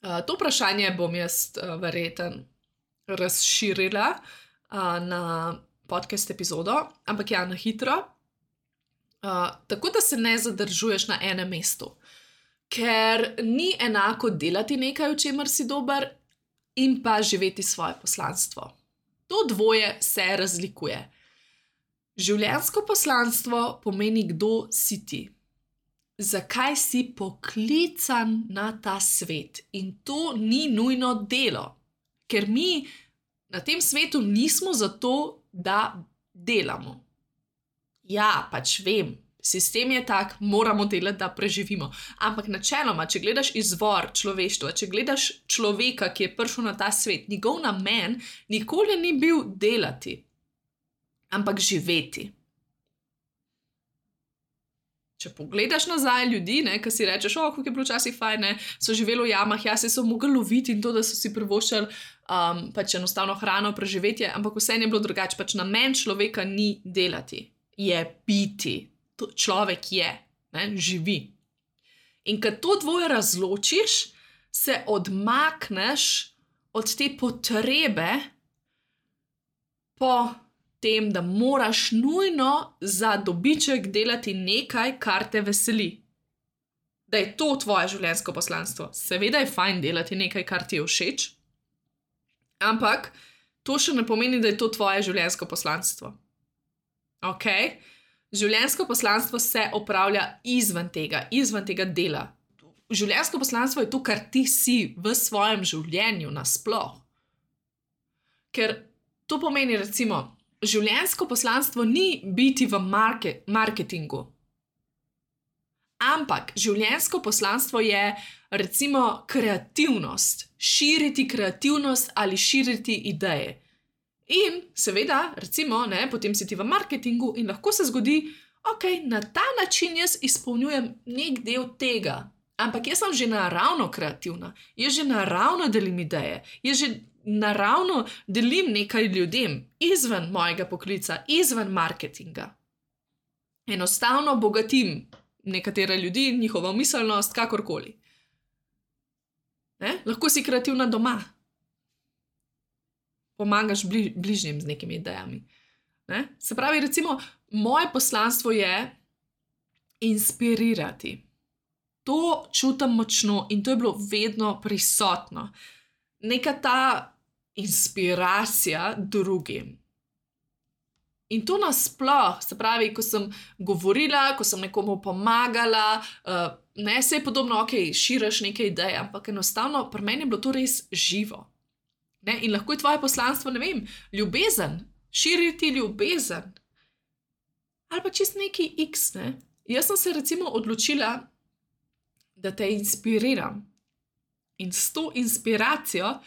Uh, to vprašanje bom jaz uh, verjeten razširila uh, na podcast epizodo, ampak ja, na hitro, uh, tako da se ne zadržuješ na enem mestu, ker ni enako delati nekaj, v čemer si dober, in pa živeti svoje poslanstvo. To dvoje se razlikuje. Življenjsko poslanstvo pomeni, kdo si ti. Zakaj si poklican na ta svet? In to ni nujno delo, ker mi na tem svetu nismo zato, da delamo. Ja, pač vem, sistem je tak, moramo delati, da preživimo. Ampak načeloma, če gledaš izvor človeštva, če gledaš človeka, ki je prišel na ta svet, njegov namen nikoli ni bil delati, ampak živeti. Če pogledaš nazaj ljudi, ne, ki si rečeš, o, kako je bilo včasih fajn, ne, so živeli v jamah, ja, se so mogli loviti in to, da so si privoščili um, pač enostavno hrano, preživetje, ampak vse je bilo drugače. Pač namen človeka ni delati, je biti. To človek je, ne, živi. In kad to dvoje razločiš, se odmakneš od te potrebe po tem, da moraš nujno za dobiček delati nekaj, kar te veseli. Da je to tvoje življenjsko poslanstvo. Seveda je fajn delati nekaj, kar ti je všeč, ampak to še ne pomeni, da je to tvoje življenjsko poslanstvo. Ok? Življenjsko poslanstvo se opravlja izven tega, izven tega dela. Življenjsko poslanstvo je to, kar ti si v svojem življenju nasploh. Ker to pomeni, recimo, življenjsko poslanstvo ni biti v market, marketingu. Ampak življenjsko poslanstvo je, recimo, kreativnost. Širiti kreativnost ali širiti ideje. In seveda, recimo, ne, potem si ti v marketingu in lahko se zgodi, ok, na ta način jaz izpolnjujem nek del tega. Ampak jaz sem že naravno kreativna. Jaz že naravno delim ideje. Jaz že naravno delim nekaj ljudem izven mojega poklica, izven marketinga. Enostavno bogatim nekatere ljudi, njihovo miselnost, kakorkoli. Ne? Lahko si kreativna doma. Pomagaš bli, bližnjim z nekimi idejami. Ne? Se pravi, recimo, moje poslanstvo je inspirirati. To čutim močno in to je bilo vedno prisotno. Neka ta inspiracija drugim. In to nasploh, se pravi, ko sem govorila, ko sem nekomu pomagala, uh, ne, se je podobno, ok, širiš neke ideje, ampak enostavno pri meni je bilo to res živo. Ne? In lahko je tvoje poslanstvo, ne vem, ljubezen, širiti ljubezen. Ali pa čist neki X, ne. Jaz sem se recimo odločila, da te inspiriram. In s to inspiracijo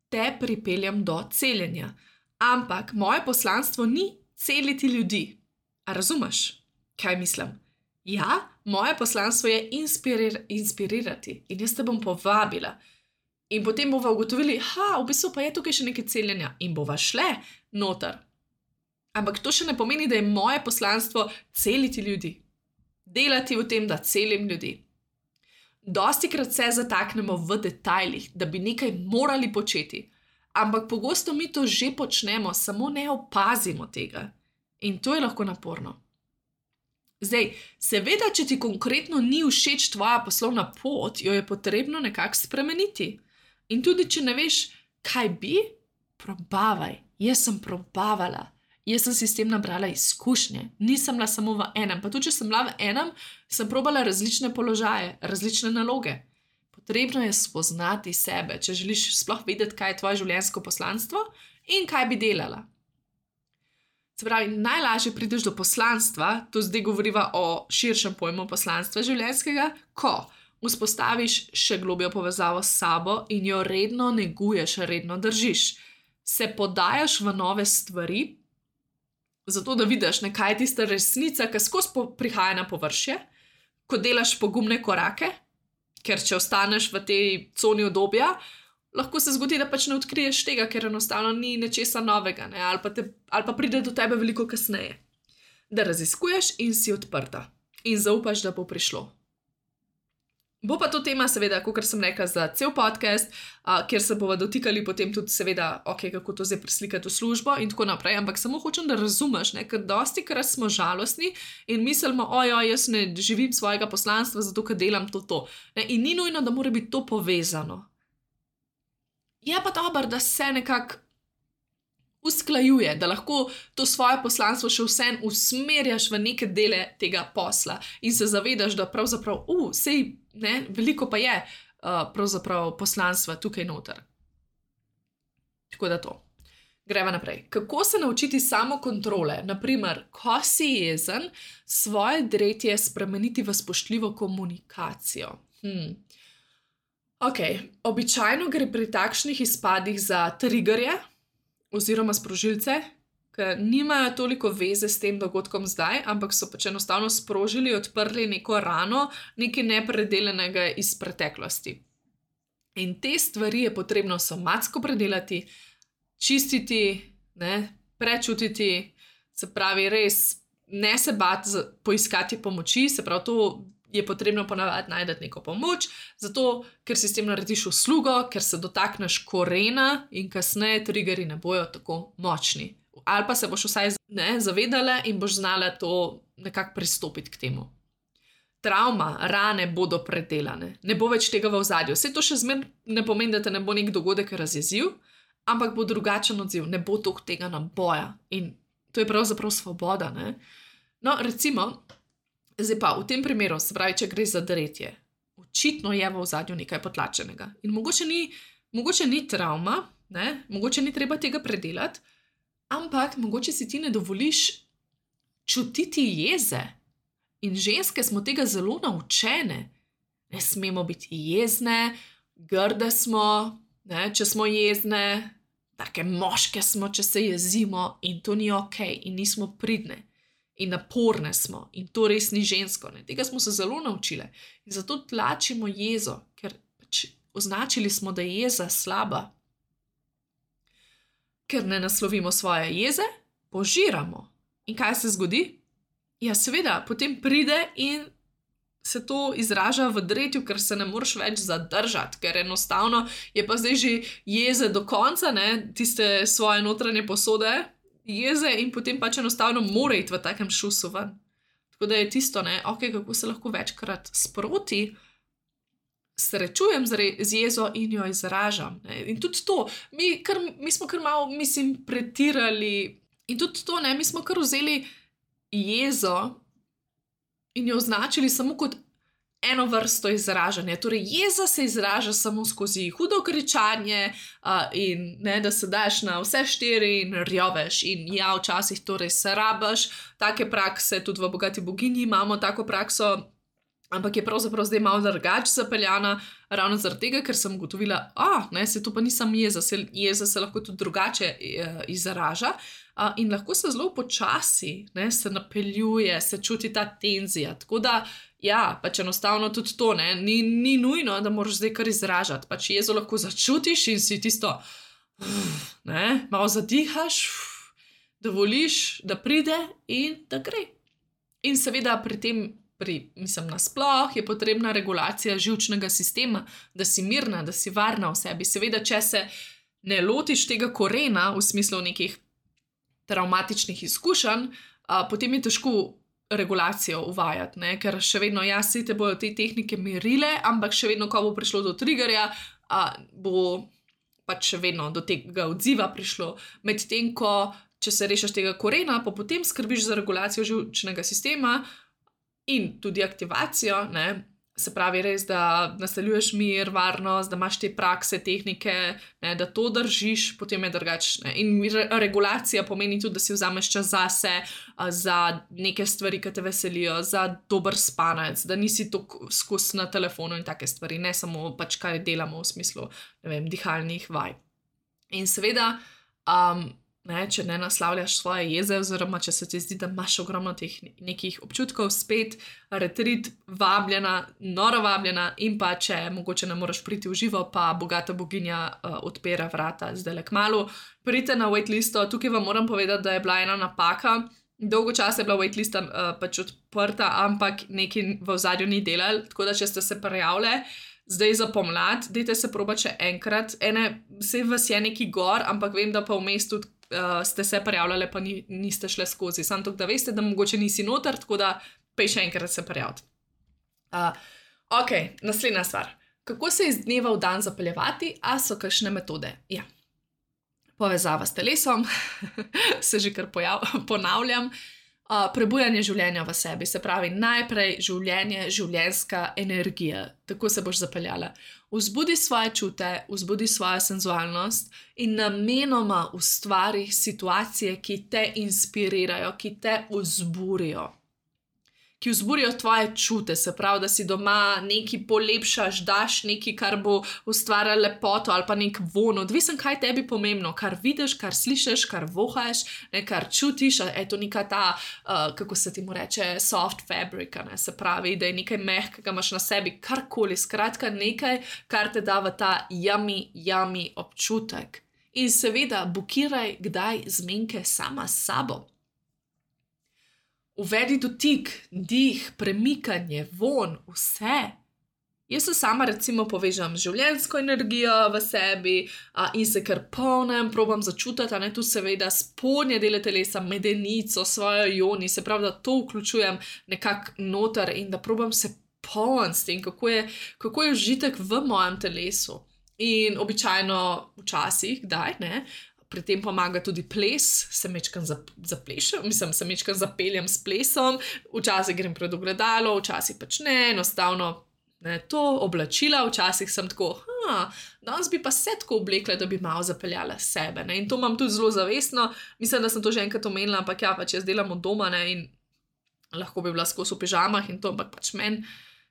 te pripeljem do celjenja. Ampak moje poslanstvo ni celiti ljudi. A razumeš, kaj mislim? Ja, moje poslanstvo je inspirir, inspirirati. In jaz te bom povabila. In potem bova ugotovili, ha, v bistvu pa je tukaj še nekaj celjenja. In bova šle noter. Ampak to še ne pomeni, da je moje poslanstvo celiti ljudi. Delati v tem, da celim ljudi. Dostikrat se zataknemo v detajlih, da bi nekaj morali početi, ampak pogosto mi to že počnemo, samo ne opazimo tega. In to je lahko naporno. Zdaj, seveda, če ti konkretno ni všeč tvoja poslovna pot, jo je potrebno nekako spremeniti. In tudi, če ne veš, kaj bi, probavaj. Jaz sem probavala. Jaz sem si s tem nabrala izkušnje. Nisem bila samo v enem. Pa tudi, če sem bila v enem, sem probala različne položaje, različne naloge. Potrebno je spoznati sebe, če želiš sploh vedeti, kaj je tvoje življenjsko poslanstvo in kaj bi delala. Se pravi, najlažje prideš do poslanstva, to zdaj govoriva o širšem pojmu poslanstva življenjskega, ko vzpostaviš še globjo povezavo s sabo in jo redno neguješ, redno držiš. Se podajaš v nove stvari, zato da vidiš, ne, kaj je tista resnica, ki skozi prihaja na površje, ko delaš pogumne korake, ker če ostaneš v tej coni udobja, lahko se zgodi, da pač ne odkriješ tega, ker enostavno ni nečesa novega, ne, ali pa, te, ali pa pride do tebe veliko kasneje. Da raziskuješ in si odprta in zaupaš, da bo prišlo. Bo pa to tema, seveda, kakor sem rekla, za cel podcast, uh, kjer se bova dotikali potem tudi, seveda, ok, kako to zdaj preslikati v službo in tako naprej, ampak samo hočem, da razumeš, ne, ker dosti krat smo žalostni in mislimo, ojoj, jaz ne živim svojega poslanstva, zato ker delam to, to. Ne, in ni nujno, da mora biti to povezano. Je pa dobro, da se nekako usklajuje, da lahko to svoje poslanstvo še vsem usmerjaš v neke dele tega posla in se zavedaš, da pravzaprav, uh, sej, ne, veliko pa je uh, pravzaprav poslanstva tukaj noter. Tako da to. Greva naprej. Kako se naučiti samokontrole? Naprimer, ko si jezen, svoje dretje spremeniti v spoštljivo komunikacijo. Hmm. Ok, običajno gre pri takšnih izpadih za triggerje, oziroma sprožilce, ki nimajo toliko veze s tem dogodkom zdaj, ampak so pač enostavno sprožili, odprli neko rano, nekaj nepredelenega iz preteklosti. In te stvari je potrebno somatsko predelati, čistiti, ne, prečutiti, se pravi res ne se bati poiskati pomoči, se pravi to je potrebno ponavadi najti neko pomoč, zato ker si s tem narediš uslugo, ker se dotakneš korena in kasneje triggeri ne bojo tako močni. Ali pa se boš vsaj ne, zavedala in boš znala to nekako pristopiti k temu. Travma, rane bodo predelane, ne bo več tega v ozadju. Vse to še zmeraj ne pomeni, da te ne bo nek dogodek razjezil, ampak bo drugačen odziv, ne bo toliko tega naboja. In to je pravzaprav svoboda. Ne? No, recimo, zdaj pa v tem primeru, se pravi, če gre za dretje, očitno je v ozadju nekaj potlačenega. In mogoče ni, mogoče ni travma, ne? Mogoče ni treba tega predelati, ampak mogoče si ti ne dovoliš čutiti jeze. In ženske smo tega zelo naučene. Ne smemo biti jezne, grde smo, ne, če smo jezne, take moške smo, če se jezimo in to ni ok in nismo pridne in naporne smo in to res ni žensko. Ne. Tega smo se zelo naučile in zato tlačimo jezo, ker pač označili smo, da je jeza slaba. Ker ne naslovimo svoje jeze, požiramo. In kaj se zgodi? Ja, seveda, potem pride in se to izraža v dretju, ker se ne moreš več zadržati, ker enostavno je pa zdaj že jeze do konca, ne, tiste svoje notranje posode, jeze in potem pač enostavno mora iti v takem šusu ven. Tako da je tisto, ne, ok, kako se lahko večkrat sproti srečujem z jezo in jo izražam. Ne. In tudi to, mi, kar, mi smo kar malo, mislim, pretirali in tudi to, ne, mi smo kar vzeli jezo in jo označili samo kot eno vrsto izražanja. Torej, jeza se izraža samo skozi hudo kričanje uh, in ne, da se daš na vse štiri in rjoveš in ja, včasih torej se rabaš. Take prakse, tudi v Bogati boginji imamo tako prakso, ampak je pravzaprav zdaj malo drugače zapeljana, ravno zaradi tega, ker sem ugotovila, a, ne, se to pa ni samo jeza, se, jeza se lahko tudi drugače uh, izraža. Uh, in lahko se zelo počasi, ne, se napeljuje, se čuti ta tenzija. Tako da, ja, pač enostavno tudi to, ne, ni, ni nujno, da moraš zdaj kar izražati. Pač jezo lahko začutiš in si tisto, ne, malo zadihaš, dovoliš, da pride in da gre. In seveda pri tem, pri, mislim, nasploh je potrebna regulacija živčnega sistema, da si mirna, da si varna v sebi. Seveda, če se ne lotiš tega korena v smislu nekih travmatičnih izkušenj, a, potem je težko regulacijo uvajati, ne? Ker še vedno jaz si te bojo te tehnike merile, ampak še vedno, ko bo prišlo do triggerja, a, bo pač še vedno do tega odziva prišlo. Medtem, ko če se rešiš tega korena, pa potem skrbiš za regulacijo živčnega sistema in tudi aktivacijo, ne? Se pravi res, da naseljuješ mir, varnost, da imaš te prakse, tehnike, ne, da to držiš, potem je drugačne. In regulacija pomeni tudi, da si vzameš čas zase, za neke stvari, ki te veselijo, za dober spanec, da nisi tako skozi na telefonu in take stvari, ne samo pač kaj delamo v smislu, ne vem, dihalnih vaj. In seveda, um, ne, če ne naslavljaš svoje jeze, oziroma če se ti zdi, da imaš ogromno teh nekih občutkov, spet retreat, vabljena, noro vabljena in pa če mogoče ne moreš priti v živo, pa Bogata boginja uh, odpira vrata zdajle kmalu. Pridite na waitlisto, tukaj vam moram povedati, da je bila ena napaka, dolgo časa je bila waitlista uh, pač odprta, ampak nekaj v ozadju ni delal, tako da če ste se prijavile, zdaj za pomlad, dajte se proba še enkrat, ene, vse vas je neki gor, ampak vem, da pa v mestu uh, ste se prijavljale, pa ni, niste šle skozi. Sam tako, da veste, da mogoče nisi noter, tako da pej še enkrat se prijaviti. Uh, ok, naslednja stvar. Kako se iz dneva v dan zapeljevati, a so kakšne metode? Ja. Povezava s telesom, se že kar pojav, ponavljam. Uh, prebujanje življenja v sebi, se pravi najprej življenje, življenjska energija, tako se boš zapeljala. Vzbudi svoje čute, vzbudi svojo senzualnost in namenoma ustvari situacije, ki te inspirirajo, ki te vzburijo, ki vzburijo tvoje čute, se pravi, da si doma nekaj polepšaš, daš nekaj, kar bo ustvarjalo lepoto ali pa nek von, odvisen, kaj tebi pomembno, kar vidiš, kar slišiš, kar vohaš, ne, kar čutiš, je to neka ta, uh, kako se ti mu reče, soft fabric, ne, se pravi, da je nekaj mehkega, imaš na sebi karkoli, skratka nekaj, kar te da v ta yummy, yummy občutek. In seveda, bukiraj kdaj zmenke sama s sabo. Uvedi dotik, dih, premikanje, von, vse. Jaz se sama recimo povežam z življenjsko energijo v sebi a, in se kar polnem, probam začutiti, a ne tu seveda spodnje dele telesa, medenico, svojo joni, se pravi, da to vključujem nekako noter in da probam se polniti s tem, kako je, kako je užitek v mojem telesu. In običajno včasih, kdaj, ne, pri tem pomaga tudi ples, se mečkam zaplešem, mislim, se mečkam zapeljem s plesom, včasih grem pred ogledalo, včasih pač ne, enostavno ne, to oblačila, včasih sem tako, ha, danes bi pa se tako oblekla, da bi malo zapeljala sebe, ne, in to imam tudi zelo zavestno, mislim, da sem to že enkrat omenila, ampak ja, pač jaz delam od doma, ne, in lahko bi bila skozi v pižamah in to, ampak pač meni,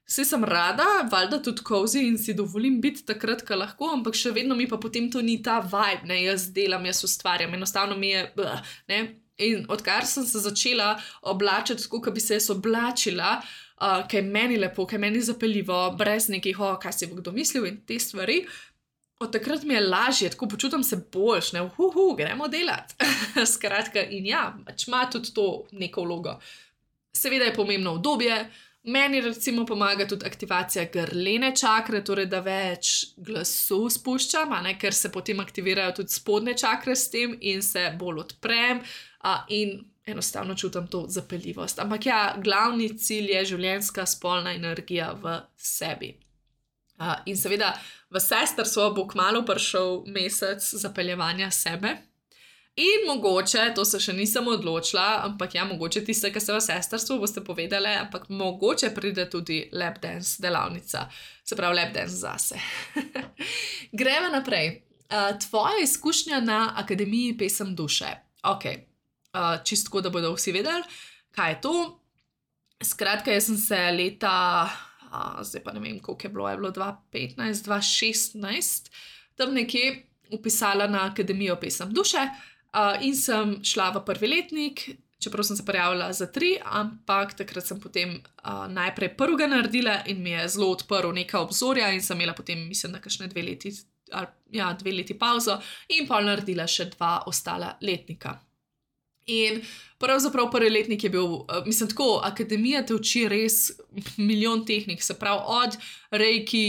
vse sem rada, valjda tudi cozy in si dovolim biti takrat, ko lahko, ampak še vedno mi pa potem to ni ta vibe, ne, jaz delam, jaz ustvarjam, enostavno mi je, blah, ne, in odkar sem se začela oblačiti tako, kot bi se jaz oblačila, uh, kaj je meni lepo, kaj je meni zapeljivo, brez nekih, o, kaj si bo kdo mislil in te stvari, od takrat mi je lažje, tako počutam se boljš, ne, uhuhu, gremo delati, skratka, in ja, pač ima tudi to neko vlogo. Seveda je pomembno obdobje. Meni recimo pomaga tudi aktivacija grlene čakre, torej da več glasu spuščam, a ne, ker se potem aktivirajo tudi spodnje čakre s tem in se bolj odprem a, in enostavno čutim to zapeljivost. Ampak ja, glavni cilj je življenjska spolna energija v sebi. A, in seveda v sestrstvo bo kmalu prišel mesec zapeljevanja sebe. In mogoče, to se še nisem odločila, ampak ja, mogoče tiste, ki ste v sestrstvu, boste povedali, ampak mogoče pride tudi lap dance delavnica, se pravi lap dance zase. Gremo naprej. Uh, tvoja izkušnja na Akademiji pesem duše. Ok, uh, čistko, da bodo vsi vedeli, kaj je to. Skratka, jaz sem se leta, uh, zdaj pa ne vem, koliko je bilo, je bilo dva tisoč petnajst, dva tisoč šestnajst, tam nekje upisala na Akademijo pesem duše. Uh, in sem šla v prvi letnik, čeprav sem se prijavila za tri, ampak takrat sem potem uh, najprej prvega naredila in mi je zelo odprl neka obzorja in sem imela potem, mislim, da kakšne dve leti, ali, ja, dve leti pauzo in pa naredila še dva ostala letnika. In pravzaprav prvi letnik je bil, uh, mislim tako, Akademija te uči res milijon tehnik, se pravi od reiki,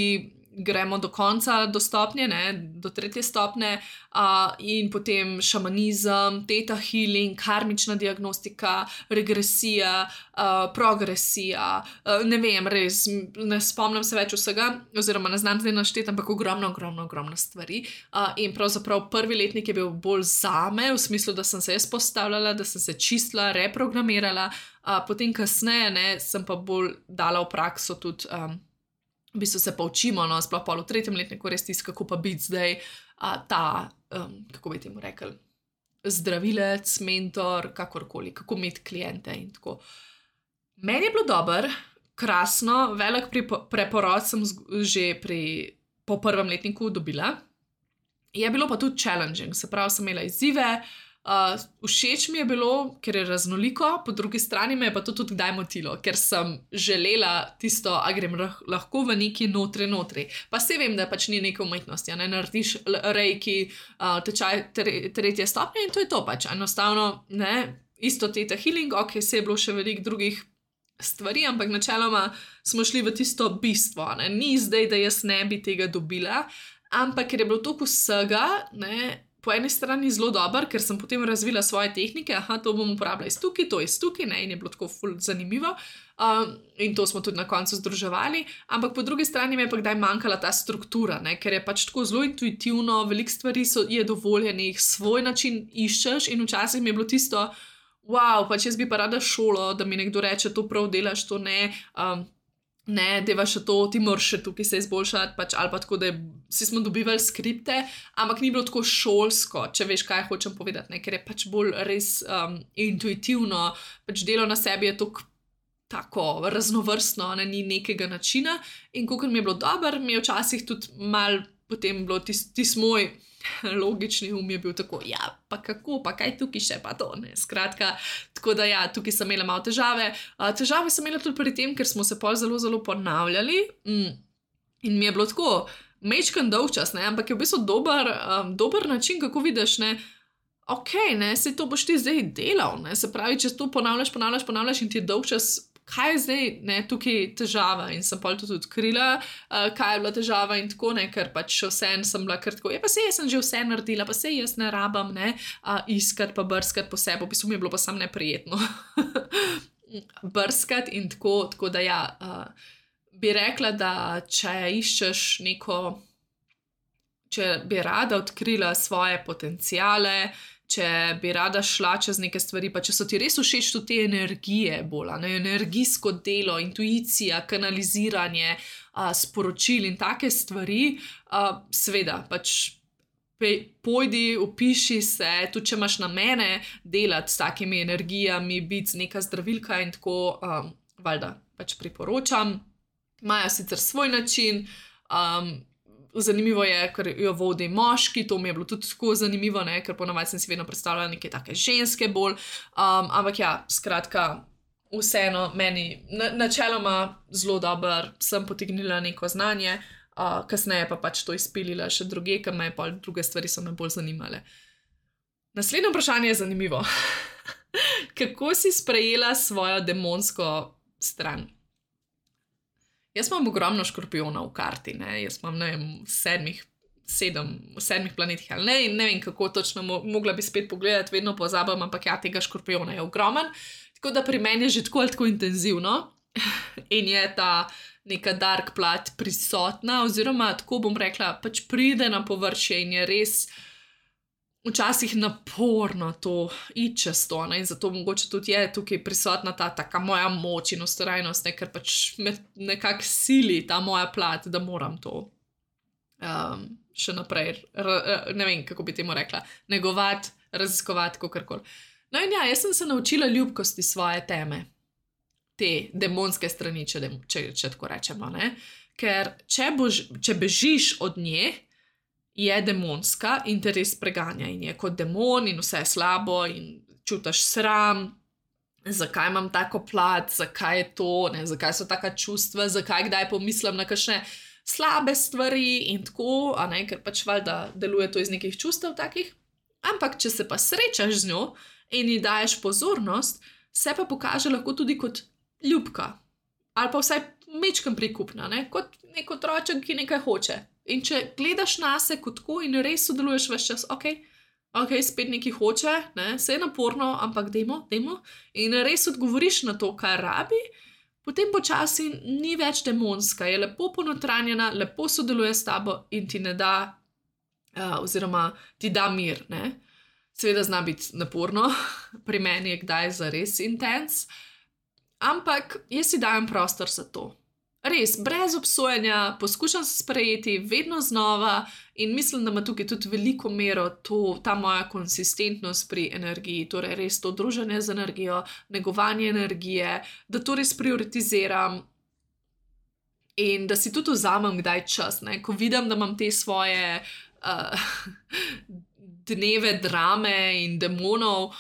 gremo do konca, do stopnje, ne, do tretje stopnje uh, in potem šamanizem, theta healing, karmična diagnostika, regresija, uh, progresija, uh, ne vem, res, ne spomnim se več vsega, oziroma ne znam zdaj našteti, ampak ogromno, ogromno, ogromno stvari. Uh, in pravzaprav prvi letnik je bil bolj zame, v smislu, da sem se jaz postavljala, da sem se čistila, reprogramirala, uh, potem kasneje, ne, sem pa bolj dala v prakso tudi um, v bistvu se pa učimo, no, sploh pa v tretjem letniku res tisto, kako pa biti zdaj a, ta, um, kako bi temu rekel, zdravilec, mentor, kakorkoli, kako imeti klijente in tako. Meni je bilo dobro, krasno, velik preporod sem že pri, po prvem letniku dobila. Je bilo pa tudi challenging, se pravi, sem imela izzive, Uh, všeč mi je bilo, ker je raznoliko, po drugi strani me je pa to tudi kdaj motilo, ker sem želela tisto, a grem lahko v neki notri notri. Pa se vem, da pač ni neke umetnosti, ne narediš reiki, uh, tečaj tre, tretje stopnje in to je to pač. Enostavno, ne, isto theta healing, ok, se je bilo še veliko drugih stvari, ampak načeloma smo šli v tisto bistvo, ne, ni zdaj, da jaz ne bi tega dobila, ampak ker je bilo toliko vsega, ne, po eni strani zelo dober, ker sem potem razvila svoje tehnike, aha, to bom uporabljala iz tukaj, to iz tukaj, ne, in je bilo tako ful zanimivo um, in to smo tudi na koncu združevali, ampak po drugi strani mi je pa kdaj manjkala ta struktura, ne, ker je pač tako zelo intuitivno, veliko stvari so, je dovoljenih, svoj način iščeš in včasih mi je bilo tisto, wow, pač jaz bi pa rada šolo, da mi nekdo reče, to prav delaš, to ne, um, ne, deva še to, ti moraš še tukaj se izboljšati, pač, ali pa tako, da je, vsi smo dobivali skripte, ampak ni bilo tako šolsko, če veš, kaj hočem povedati, ne, ker je pač bolj res um, intuitivno, pač delo na sebi je tako tako raznovrstno, ne, ni nekega načina in kakor mi je bilo dobro, mi je včasih tudi mal potem bilo tis, tis moj logični um je bil tako, ja, pa kako, pa kaj tukaj še, pa to, ne, skratka, tako da ja, tukaj sem imela malo težave. Uh, težave sem imela tudi pri tem, ker smo se pol zelo, zelo ponavljali mm, in mi je bilo tako, mečkan dolgčas, ne, ampak je v bistvu dober, um, dober način, kako vidiš, ne, ok, ne, se to boš ti zdaj delal, ne, se pravi, če to ponavljaš, ponavljaš, ponavljaš in ti je dolgčas, kaj je zdaj, ne, tukaj težava in sem pol tudi odkrila, uh, kaj je bila težava in tako, ne, ker pač vseeno sem bila kar tako, ja, pa sej jaz sem že vse naredila, pa sej jaz ne rabam, ne, uh, iskat pa brskati po sebi, v bistvu mi je bilo pa sam neprijetno brskati in tako, tako da ja, uh, bi rekla, da če iščeš neko, če bi rada odkrila svoje potenciale, če bi rada šla čez neke stvari, pa če so ti res všeč tudi te energije bolj, ne, energijsko delo, intuicija, kanaliziranje, a, sporočil in take stvari, a, seveda, pač pe, pojdi, upiši se, tudi če imaš namene delati s takimi energijami, biti neka zdravilka in tako, a, valjda, pač priporočam. Imajo sicer svoj način, um, zanimivo je, ker jo vodi moški, to mi je bilo tudi tako zanimivo, ne? Ker ponavadi sem si vedno predstavljala neke take ženske bolj, um, ampak ja, skratka, vseeno meni na, načeloma zelo dober, sem potegnila neko znanje, uh, kasneje pa pač to izpilila še druge, ker me pa druge stvari so me bolj zanimale. Naslednje vprašanje je zanimivo. Kako si sprejela svojo demonsko stran? Jaz imam ogromno škorpijona v karti, ne, jaz imam, ne vem, v sedmih, sedem, v sedmih planetih, ali ne, ne vem, kako točno mo mogla bi spet pogledati, vedno pozabam, ampak ja, tega škorpijona je ogromen, tako da pri meni je že tako ali tako intenzivno in je ta neka dark plat prisotna, oziroma tako bom rekla, pač pride na površje in je res včasih naporno to iti čez to, ne? In zato mogoče tudi je tukaj prisotna ta taka moja moč in ustrajnost, ne? Ker pač me nekako sili ta moja plat, da moram to um, še naprej, ne vem, kako bi temu rekla, negovati, raziskovati, kakorkoli. No in ja, jaz sem se naučila ljubkosti svoje teme, te demonske strani, če, če, če tako rečemo, ne? Ker če, bož, če bežiš od nje, je demonska in te res preganja in je kot demon in vse je slabo in čutiš sram, zakaj imam tako plat, zakaj je to, ne, zakaj so taka čustva, zakaj kdaj pomislim na kakšne slabe stvari in tako, a ne, ker pač valjda deluje to iz nekih čustev takih, ampak če se pa srečaš z njo in ji daješ pozornost, se pa pokaže lahko tudi kot ljubka ali pa vsaj mečkam prikupna, ne, kot nek otroček, ki nekaj hoče. In če gledaš nase kot tako in res sodeluješ ves čas, ok, ok, spet nekaj hoče, ne, se je naporno, ampak dajmo, dajmo, in res odgovoriš na to, kar rabi, potem počasi ni več demonska, je lepo ponotranjena, lepo sodeluje s tabo in ti ne da, uh, oziroma ti da mir, ne. Seveda zna biti naporno, pri meni je kdaj zares intens, ampak jaz si dajem prostor za to. Res, brez obsojanja, poskušam se sprejeti vedno znova in mislim, da ima tukaj tudi veliko mero to, ta moja konsistentnost pri energiji, torej res to druženje z energijo, negovanje energije, da to res prioritiziram in da si tudi vzamem kdaj čas, ne? Ko vidim, da imam te svoje uh, dneve drame in demonov,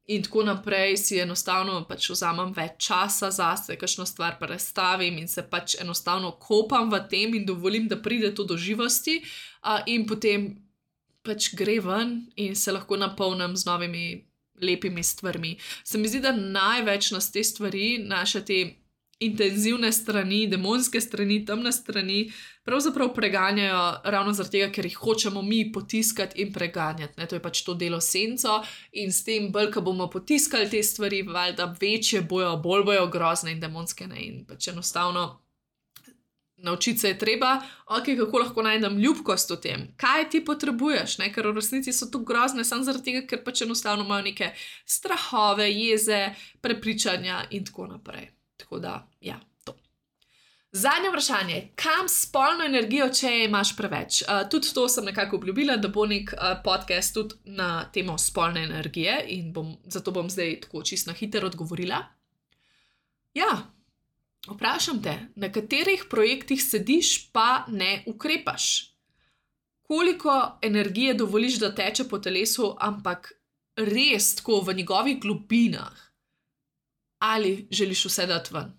in tako naprej si enostavno pač vzamem več časa zase, kakšno stvar prestavim in se pač enostavno kopam v tem in dovolim, da pride to do živosti uh, in potem pač gre ven in se lahko napolnim z novimi lepimi stvarmi. Se mi zdi, da največ nas te stvari, naše te intenzivne strani, demonske strani, temne strani, pravzaprav preganjajo ravno zaradi tega, ker jih hočemo mi potiskati in preganjati. Ne? To je pač to delo senco in s tem bolj, ko bomo potiskali te stvari, valjda večje bojo, bolj bojo grozne in demonske, ne? In pač enostavno naučiti se je treba, ok, kako lahko najdem ljubkost v tem, kaj ti potrebuješ, ne? Ker v resnici so to grozne samo zaradi tega, ker pač enostavno imajo neke strahove, jeze, prepričanja in tako naprej. Tako da, ja, to. Zadnje vprašanje, kam spolno energijo, če imaš preveč? Uh, tudi to sem nekako obljubila, da bo nek uh, podcast tudi na temo spolne energije in bom, zato bom zdaj tako čisto na hitro odgovorila. Ja, Vprašam te, na katerih projektih sediš, pa ne ukrepaš? Koliko energije dovoliš, da teče po telesu, ampak res tako v njegovih globinah? Ali želiš vse dati ven?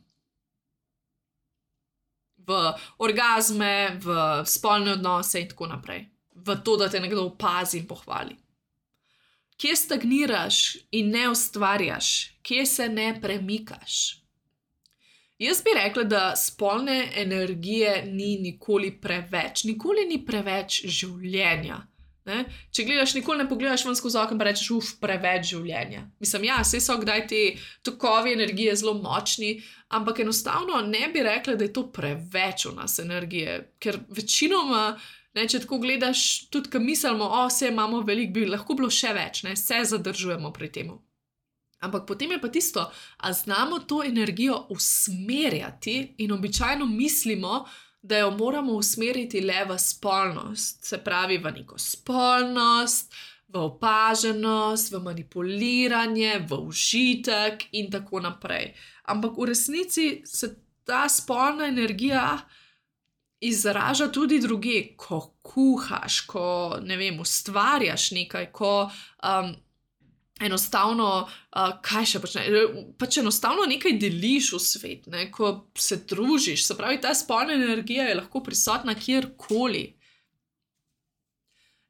V orgazme, v spolne odnose in tako naprej. V to, da te nekdo opazi in pohvali. Kje stagniraš in ne ustvarjaš? Kje se ne premikaš? Jaz bi rekla, da spolne energije ni nikoli preveč. Nikoli ni preveč življenja. Ne? Če gledaš, nikoli ne pogledaš ven skozi okno in rečeš, uf, preveč življenja. Mislim, ja, saj so kdaj te tokovi energije zelo močni, ampak enostavno ne bi rekla, da je to preveč v nas energije, ker večinoma, ne, če tako gledaš, tudi ko mislimo, o, vse imamo veliko, bi lahko bilo še več, ne, se zadržujemo pri temu. Ampak potem je pa tisto, a znamo to energijo usmerjati in običajno mislimo, da jo moramo usmeriti le v spolnost, se pravi v neko spolnost, v opaženost, v manipuliranje, v užitek in tako naprej. Ampak v resnici se ta spolna energija izraža tudi drugje, ko kuhaš, ko, ne vem, ustvarjaš nekaj, ko um, enostavno, uh, kaj še počneš, pač enostavno nekaj deliš v svet, ne? Ko se družiš, se pravi, ta spolna energija je lahko prisotna kjerkoli.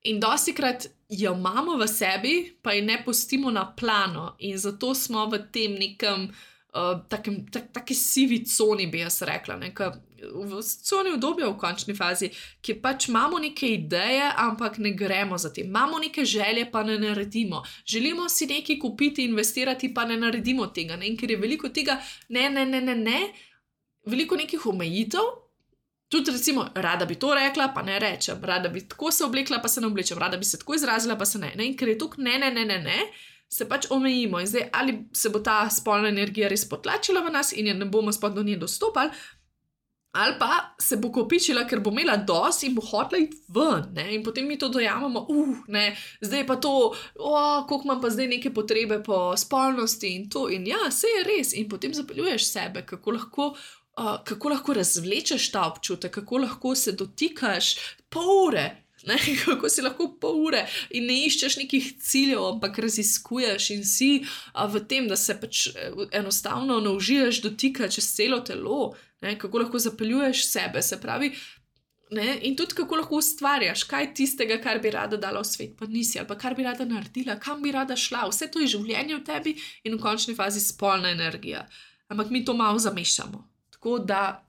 In dostikrat jo imamo v sebi, pa ji ne pustimo na plano in zato smo v tem nekem, uh, takem, tak, taki sivi coni, bi jaz rekla, ne? Ka, v coni obdobja v končni fazi, ki pač imamo neke ideje, ampak ne gremo za tem. Imamo neke želje, pa ne naredimo. Želimo si nekaj kupiti, investirati, pa ne naredimo tega. Ne? In ker je veliko tega, ne, ne, ne, ne, ne, veliko nekih omejitev, tudi recimo, rada bi to rekla, pa ne rečem, rada bi tako se oblekla, pa se ne oblečem, rada bi se tako izrazila, pa se ne. ne? In ker je tukaj ne, ne, ne, ne, ne, se pač omejimo. In zdaj, ali se bo ta spolna energija res potlačila v nas in je ne bomo spod do nje dostopali, ali pa se bo kopičila, ker bo imela dosti in bo hotela iti ven, ne? In potem mi to dojamemo, uh, ne, zdaj pa to, oh, koliko imam pa zdaj neke potrebe po spolnosti in to, in ja, vse je res, in potem zapeljuješ sebe, kako lahko, uh, kako lahko razvlečeš ta občutek, kako lahko se dotikaš pol ure, ne? Kako si lahko pol ure in ne iščeš nekih ciljev, ampak raziskuješ in si uh, v tem, da se pač enostavno naužiješ dotika čez celo telo, ne, kako lahko zapeljuješ sebe, se pravi, ne, in tudi kako lahko ustvarjaš, kaj tistega, kar bi rada dala v svet, pa nisi, ali pa kar bi rada naredila, kam bi rada šla, vse to je življenje v tebi in v končni fazi spolna energija. Ampak mi to malo zamešamo. Tako da,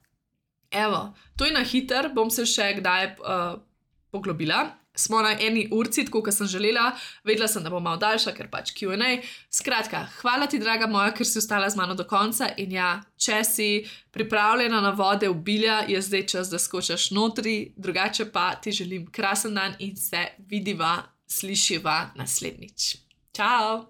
evo, to je na hiter, bom se še kdaj uh, poglobila. Smo na eni urci, tako kot sem želela, vedela sem, da bo malo daljša, ker pač Q and A. Skratka, hvala ti, draga moja, ker si ostala z mano do konca in ja, če si pripravljena na vode obilja, je zdaj čas, da skočaš notri, drugače pa ti želim krasen dan in se vidiva, slišiva naslednjič. Čau!